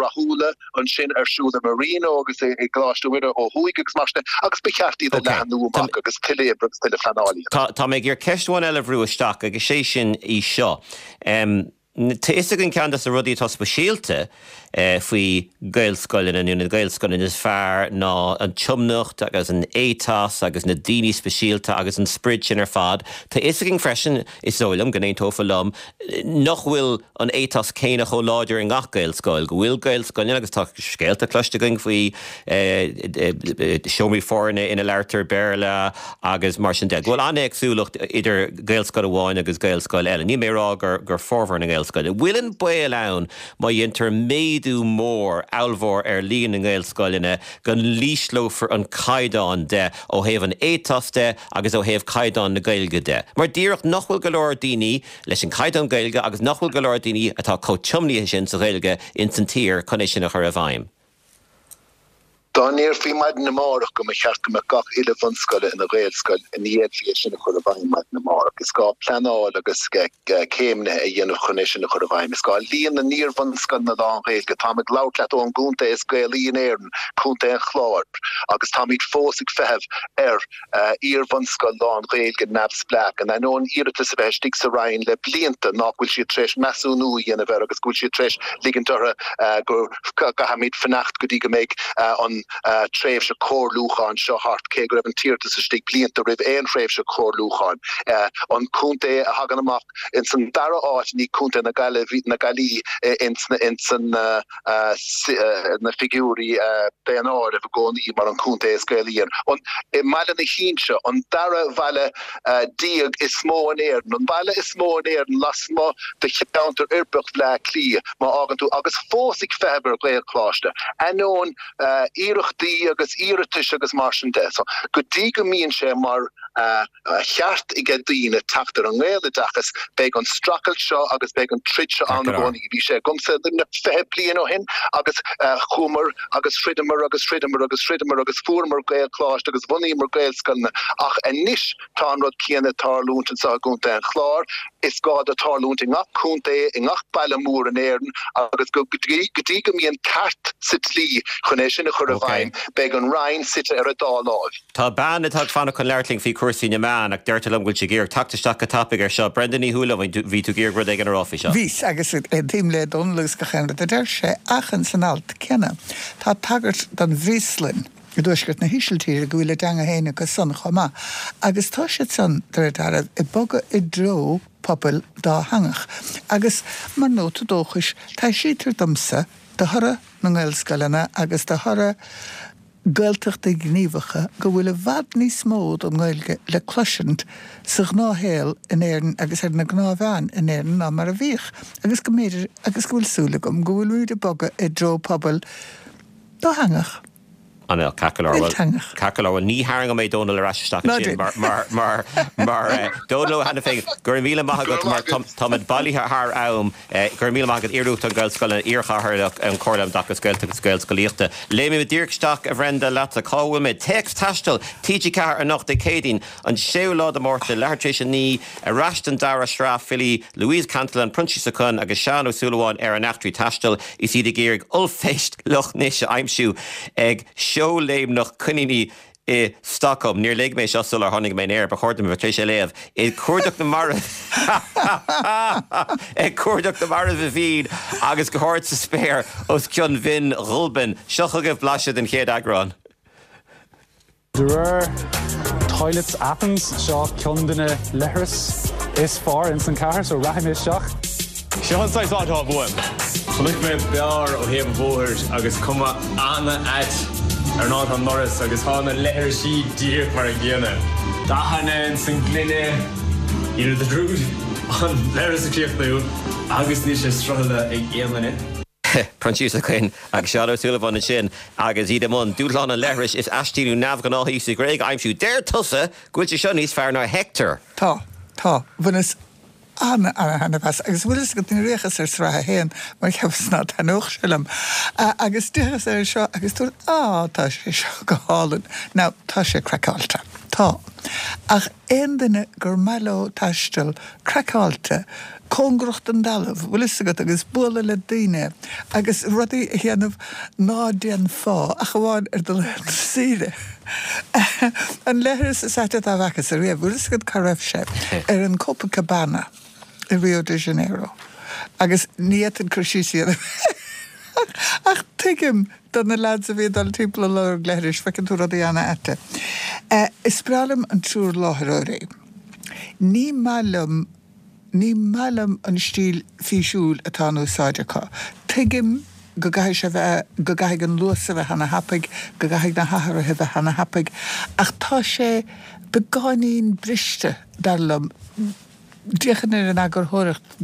rathúla ansin ar siúl i Marino agus i gColáiste Mhuire ó thuaidh agus mar sin de agus ba cheart iad a leathnú amach agus tuilleadh oibre agus tuilleadh pleanála a dhéanamh. Tá mé ag iarraidh ceist amháin eile a bhrú isteach agus sé sin í seo. Tá a fhios againn ceann de na rudaí atá speisialta faoi Gaelscoileanna nó na Gaelscoileanna is fearr ná an tiomnacht agus an éiteas agus na daoine speisialta agus an sprid sin ar fad. Tá a fhios againn freisin, is dóigh liom go n-aontófá liom, nach bhfuil an éiteas céanna chomh láidir i ngach Gaelscoil, go bhfuil Gaelscoileanna, agus tá scéalta cloiste againn faoi seomraí foirne ina labhartar Béarla agus mar sin de, go bhfuil an-éagsúlacht idir Gaelscoil amháin agus Gaelscoil eile. Níl mé ag rá gur formhór na nGaelscoileanna. Ghaelscoil. An bhfuil an baol ann má dhéantar méadú mór, ollmhór ar líon na nGaelscoileanna go n-ísleofar an caighdeán de ó thaobh an éiteas de agus ó thaobh caighdeán na Gaeilge de? Mar díreach nach bhfuil go leor daoine leis an caighdeán Gaeilge agus nach bhfuil go leor daoine atá chomh tiomnaithe sin sa Ghaeilge ins an tír chun é sin a chur i bhfeidhm. Dá ndéarfaí maidin amárach go mba cheart go mbeadh gach uile bhunscoil ina Ghaelscoil, ní fhéadfaí é sin a chur i bhfeidhm maidin amárach. Is gá pleanáil agus céimnithe a dhéanamh chun é sin a chur i bhfeidhm. Is gá líon na n-iar-bhunscoileanna lán-Ghaeilge, táim ag labhairt leat ón gcontae is Gaelaí in Éirinn, Contae an Chláir, agus táimid fós ag feitheamh ar iar-bhunscoil lán-Ghaeilge neamhspleách, in ainneoin iarratas a bheith istigh sa Roinn le blianta nach bhfuil siad tar éis measúnú a dhéanamh air agus go bhfuil siad tar éis ligint orthu go gcaithfimid fanacht go dtí go mbeidh an tréimhse comhairliúcháin seo thart, cé go raibh an t-iarratas istigh blianta roimh aon thréimhse comhairliúcháin. An contae a thagann amach ins an dara áit ní Contae na Gaillimhe ins an na figiúirí daonáirimh i gcónaí mar an contae is Gaelaí ann. I mBaile na hInse, an dara bhaile déag is mó in Éirinn, an baile is mó in Éirinn lasmuigh de cheantar uirbeach Bhleá Cliath, má fhágann tú, agus fós ag feitheamh ar Ghaelcholáiste, ainneoin iarrachtaí agus iarratais agus mar sin de. So, go dtí go mbíonn sé mar. cheart ag daoine teacht ar an nGaeloideachas, beidh an streachailt seo agus beidh an troid seo ann i gcónaí. Bhí sé agamsa i Luimneach 20 bliain ó shin agus chuamar agus throideamar agus throideamar agus throideamar agus fuaireamar Gaelcholáiste agus bhunaíomar Gaelscoileanna ach anois tá an rud céanna ag tarlúint anseo i gContae an Chláir. Is gá dó tarlúint i ngach contae, i ngach baile mór in Éirinn agus go dtí go mbíonn ceart sa dlí chun é sin a chur i bhfeidhm, beidh an Roinn suite ar a dá láimh. Tá bean atá ag fanacht chun labhairt linn faoi chúrsaí na meán ach deirtear liom go bhfuil sí ag iarraidh teacht isteach go tapaidh air seo. Brenda Ní Shúilleabháin, bhí tú ag iarraidh rud éigin a rá faoi seo. Bhíos, agus aontaím le Dónal agus gach aon rud a deir sé, ach ins an alt céanna tá tagairt don bhFríoslainn i dtuaisceart na hÍsiltíre, go bhfuil a dteanga féin acu san chomh maith, agus tá siad san, de réir dealraimh, ag bogadh i dtreo pobail dátheangach. Agus mar nóta dóchais, taibhsítear domsa, de thoradh na nGaelscoileanna agus de thoradh Gaeltachtaí gníomhacha go bhfuil i bhfad níos mó don nGaeilge le cloisint sa ghnáthshaol in Éirinn agus ar na gnáthmheáin in Éirinn ná mar a bhíodh agus go mb'fhéidir agus go bhfuil súil agam go bhfuilimid ag bogadh i dtreo pobail dátheangach. An ea, ceart go leor. Ilteangach. Ceart go leor. Bhuel, ní tharraingeoidh mé Dónal ar ais isteach ansin mar, mar, mar, mar, Dónal Ó hAiniféin, go raibh míle maith agat mar táimid bailithe thar am. Go raibh míle maith agat, Iar-Uachtarán Gaelscoileanna, Iar-Chathaoirleach an Chomhairle um Oideachas Gaeltachta agus Gaelscolaíochta. Léimfidh mé díreach isteach, a Bhrenda, leatsa. Cá bhfuil mé? Téacs Taistil, TG4 anocht, Dé Céadaoin, an séú lá de Mhárta, leathuair tar éis a 9, ar ais don dara sraith filí Louise Cantillon, Proinsias Ó Coinn agus Seán Ó Súilleabháin ar a n-eachtraí taistil is iad ag iarraidh ollphéist Loch Nis a aimsiú ag seó léimneach coiníní i Stockholm. Níor léigh mé seo sular tháinig mé in aer, ba chóir dom a bheith tar éis é a léamh. Ag cuardach na marbh Ag cuardach na marbh i Vín agus go hard sa spéir os cionn Bhinn Ghulbain. Seo chugaibh blaiseadh den chéad eagrán. De réir Toilets Athens, seo ceann de na leithris is fearr ins an cathair, so rachaidh mé isteach. Seo an saghas áit atá uaim. Chonaic mé beár ó thaobh an bhóthair agus cuma ana-ait ar an áit ón ndoras agus tá na leithrisí díreach mar an gcéanna. Dathanna ins an ngloine, you know the drill, an leithreas a chríochnú agus níl sé sroicheadh ag aon duine. Proinsias Ó Coinn agus Seán Ó Súilleabháin ansin agus iad i mbun dúshlán an leithris is aistí neamhghnáthaí sa Ghréig a aimsiú. Deir tusa go bhfuil sé seo níos fearr ná Hector! Tá, tá. Bhaineas ana-ana-thaitneamh as. Agus bhfuil fhios agat, níor fhéachas ar sraith a haon mar cheapas ná taitneodh sé liom. Agus d'fhéachas air seo agus dúirt, á, tá sé seo go hálainn. Now, tá sé craiceáilte. Tá. Ach aon duine gur maith leo taisteal craiceáilte, cóngarach don dtalamh, bhfuil fhios agat, agus bualadh le daoine agus rudaí a dhéanamh ná déanfá ach amháin ar do laethanta saoire. An leithreas is aite dá bhfacas ariamh, bhfuil fhios agat cá raibh sé? Ar an Copacabana i Rio de Janeiro. Agus ní fhéadfainn cur síos a dhéanamh air ach tuigim do na lads a bhí ag dul timpeall ag lorg leithris, feiceann tú rudaí ana-aite. Is breá liom an triúr láithreoirí. Ní maith liom Ní maith liom an stíl físiúil atá in úsáid acu. Tuigim go gcaithfidh sé bheith, go gcaithfidh an luas a bheith ana-thapaidh, go gcaithfidh na hathruithe a bheith ana-thapaidh, ach tá sé beagáinín briste, dar liom. D'fhéachainn ar an eagarthóireacht,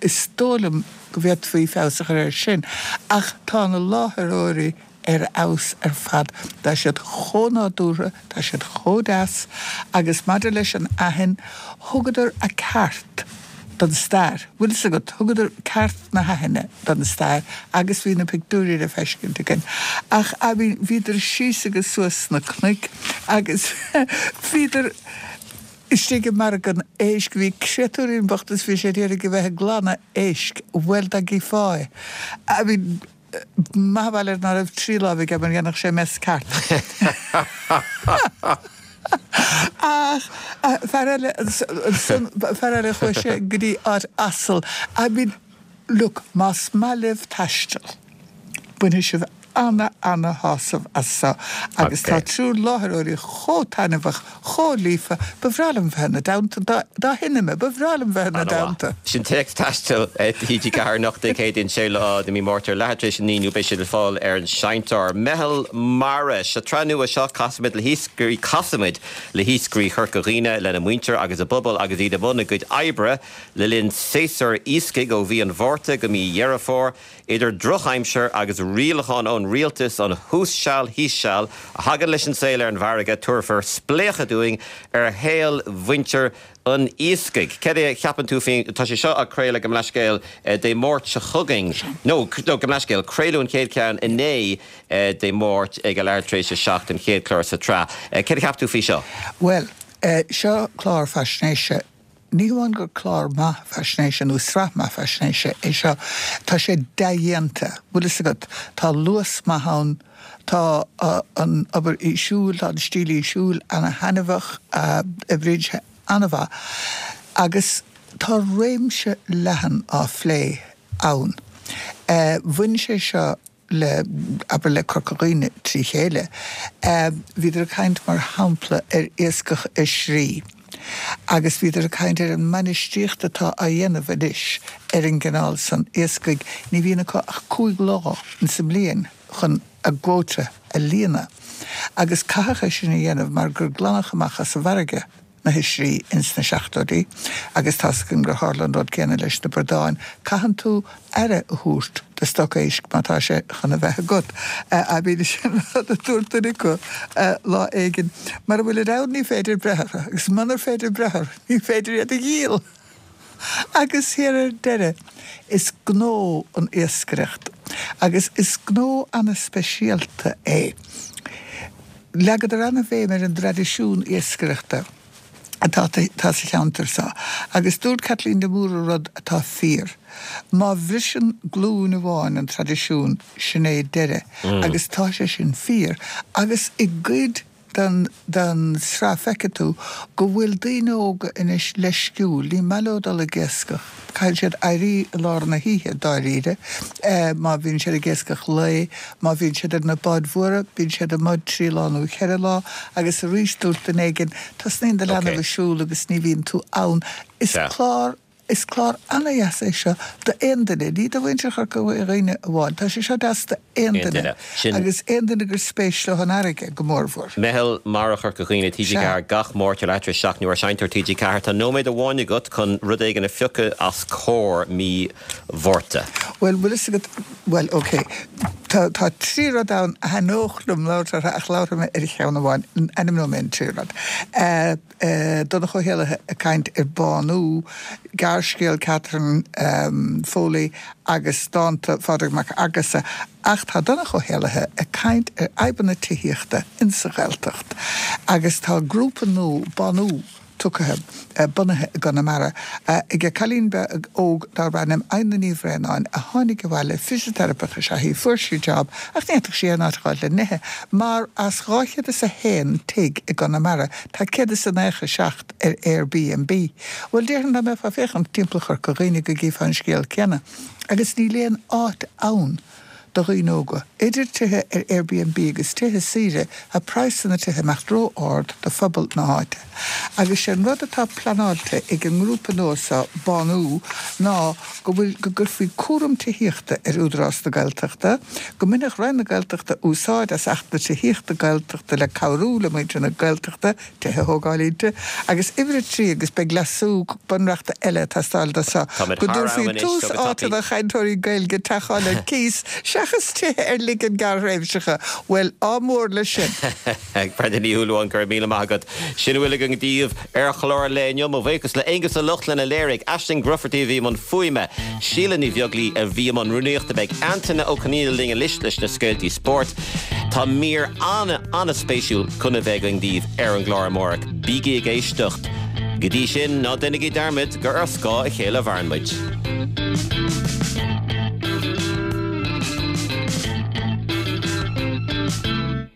is dóigh liom go bhféadfaí feabhas a chur air sin, ach tá na láithreoirí ar fheabhas ar fad. Tá siad chomh nádúrtha, tá siad chomh deas agus maidir leis an Aithin, thugadar a ceart don stair, bhfuil fhios agat, thugadar ceart na hAithine don stair agus bhí na pictiúirí le feiscint againn. Ach, I mean, bhíodar síos agus suas sna cnoic agus bhíodar istigh i margadh an éisc, bhí créatúirín bocht is bhí sé d'iarraidh a bheith ag glanadh éisc, bhuel dá gcífeá é, I mean, Maith an bail air ná raibh tri láimh aige mar dhéanfadh sé mess ceart. Ach fear eile ansan, fear eile chuaigh sé go dtí áit asal. I mean, look, más maith libh taisteal, bainfidh sibh ana, ana shásamh as so agus tá triúr láithreoirí chomh taitneamhach, chomh líofa, ba bhreá liom bheith ina dteannta, dá, dá shine mé, ba bhreá liom bheith ina dteannta. Sin téacs taistil TG4 anocht Dé Céadaoin 6ú lá de mí Márta ar leathuair tar éis a 9 nó beidh siad le fáil ar an seinnteoir. Meitheal Mara, Sa tsraith nua seo casaimid le hiascairí casaimid le hiascairí Chorca Dhuibhne, lena muintir agus a bpobal agus iad i mbun a gcuid oibre le linn séasúr iascaigh ó mhí an Mhárta go mí Dheireadh Fómhair. Idir drochaimsir agus rialacháin ón rialtas, an thuas seal thíos seal a thagann leis an saol ar an bhfarraige, tabharfar spléachadh dúinn ar shaol mhuintir an iascaigh. Céard é a cheapann tú faoin, tá sé seo á craoladh, gabh mo leithscéal, Dé Máirt seo chugainn, nó, nó, gabh mo leithscéal, craoladh an chéad cheann inné, Dé Máirt ag a leathuair tar éis a 7, an chéad chlár sa tsraith. Céard a cheap tú faoi seo? Bhuel, seo clár faisnéise Ní hamháin gur clár maith faisnéise nó sraith maith faisnéise é seo, tá sé dea-dhéanta, bhfuil fhios agat, tá luas maith ann, tá an obair fhísiúil, tá an stíl fhísiúil ana-thaitneamhach, oibríonn sé an-mhaith agus tá réimse leathan á phlé ann. Bhain sé seo le, abair, le Corca Dhuibhne trí chéile. Bhíodar ag caint, mar shampla, ar iascach oisrí agus bhíodar ag caint ar an mbainistíocht atá á dhéanamh anois ar an gcineál san iascaigh. Ní bhíonn acu ach 5 lá insa mbliain chun a gcuóta a líonadh agus caitheadh é sin a dhéanamh mar gur glanadh amach as an bhfarraige na hoisrí ins na seachtóidí agus tá's againn gur tharla an rud céanna leis na bradáin. Caitheann tú aire a thabhairt do stoc éisc má tá sé chun a bheith agat. I mean sin rud a dúirt duine acu lá éigin. Mara bhfuilid ann ní féidir breith orthu agus munar féidir breith orthu ní féidir iad a dhíol. Agus thiar ar deireadh is gnó an iascaireacht agus is gnó ana-speisialta é. Leagadar ana-bhéim ar an dtraidisiún iascaireachta atá sa cheantar seo agus dúirt Caitlín de Mórdha rud atá fíor, má bhriseann glúin amháin an traidisiún, sin é deireadh agus tá sé sin fíor agus i gcuid den den sraith feicfidh tú go bhfuil daoine óga anois leisciúil, ní maith leo dul ag iascach, caithfidh siad éirí i lár na hoíche dáiríre má bhíonn siad ag iascach lae, má bhíonn siad ar na báid mhóra bíonn siad amuigh trí lá nó cheithre lá agus arís dúirt duine éigin tosnaíonn do leanbh ag siúl agus ní bhíonn tú ann. Is clár Is clár ana-dheas é seo d'aon duine, ní do mhuintir Chorca Dhuibhne amháin. Tá sé seo deas d'aon duine, agus aon duine gur spéis leo an fharraige, go mórmhór. Meitheal Mara Chorca Dhuibhne, TG4, gach Máirt ar leathuair tar éis a 7 nó ar Seinnteoir TG4. Tá nóiméad amháin agat chun rud éigin a phiocadh as Comhar mí Mhárta. Bhuel, bhfuil fhios agat, bhuel, ok, tá, tá trí rud ann a thaitneodh liom labhairt orthu ach labharfaidh mé ar cheann amháin, ainmneoidh mé an trí rud. Donncha Ó hÉallaithe ag caint ar Bánú, gearrscéal Catherine Foley agus dánta Phádraig Mac Fhearghusa ach tá Donncha Ó hÉallaithe ag caint ar fhadhbanna tithíochta insa Ghaeltacht agus tá grúpa nua, Bánú, tugtha, bunaithe i gConamara ag cailín beag óg darb ainm Adhna Ní Bhraonáin a tháinig abhaile, fisiteiripeach is ea í, fuair sí job ach ní fhéadfadh sí aon áit a fháil le n-ithe mar as 201 tigh i gConamara Tá 197 ar Airbnb. Bhuel, déarfainn dá mbeifeá ag féachaint timpeall Chorca Dhuibhne go gcífeá an scéal céanna. Agus níl aon áit ann. do dhaoine óga. Idir tithe ar Airbnb agus tithe saoire, tá praghsanna tithe imeacht ró-ard do phobal na háite. Agus sé an rud atá pleanáilte ag an ngrúpa nua seo, Bánú, ná go bhfuil, go gcuirfí cúram tithíochta ar Údarás na Gaeltachta, go mbainfeadh Roinn na Gaeltachta úsáid as Acht na Tithíochta Gaeltachta le cabhrú le muintir na Gaeltachta tithe a thógáil inti, agus uimhir a 3, agus beidh leasú bunreachta eile ag teastáil do seo, Táimid go thar am dtabharfaí anois, tús so go áite tapaidh. do chainteoirí Gaeilge teach a fháil ar cíos seachas tithe ar ligean gearrthréimhseacha. Bhuel, ádh mór leis sin! Brenda Ní Shúilleabháin, go raibh míle maith agat. Sin a bhfuil againn daoibh ar chlár an lae inniu. Mo bhuíochas le Aonghus Ó Lochlainn a léirigh, Aisling Grufferty a bhí i mbun fuaime, Síle Ní Bheaglaoi a bhí i mbun rúnaíochta. Beidh Antaine Ó Conghaile linn anois leis na scéaltaí spóirt. Tá mír an-an-spéisiúil chun a bheith againn daoibh ar an gclár amárach. Bígí ag éisteacht. Go dtí sin, ná déanaigí dearmad gur ar scáth a chéile a mhaireann muid.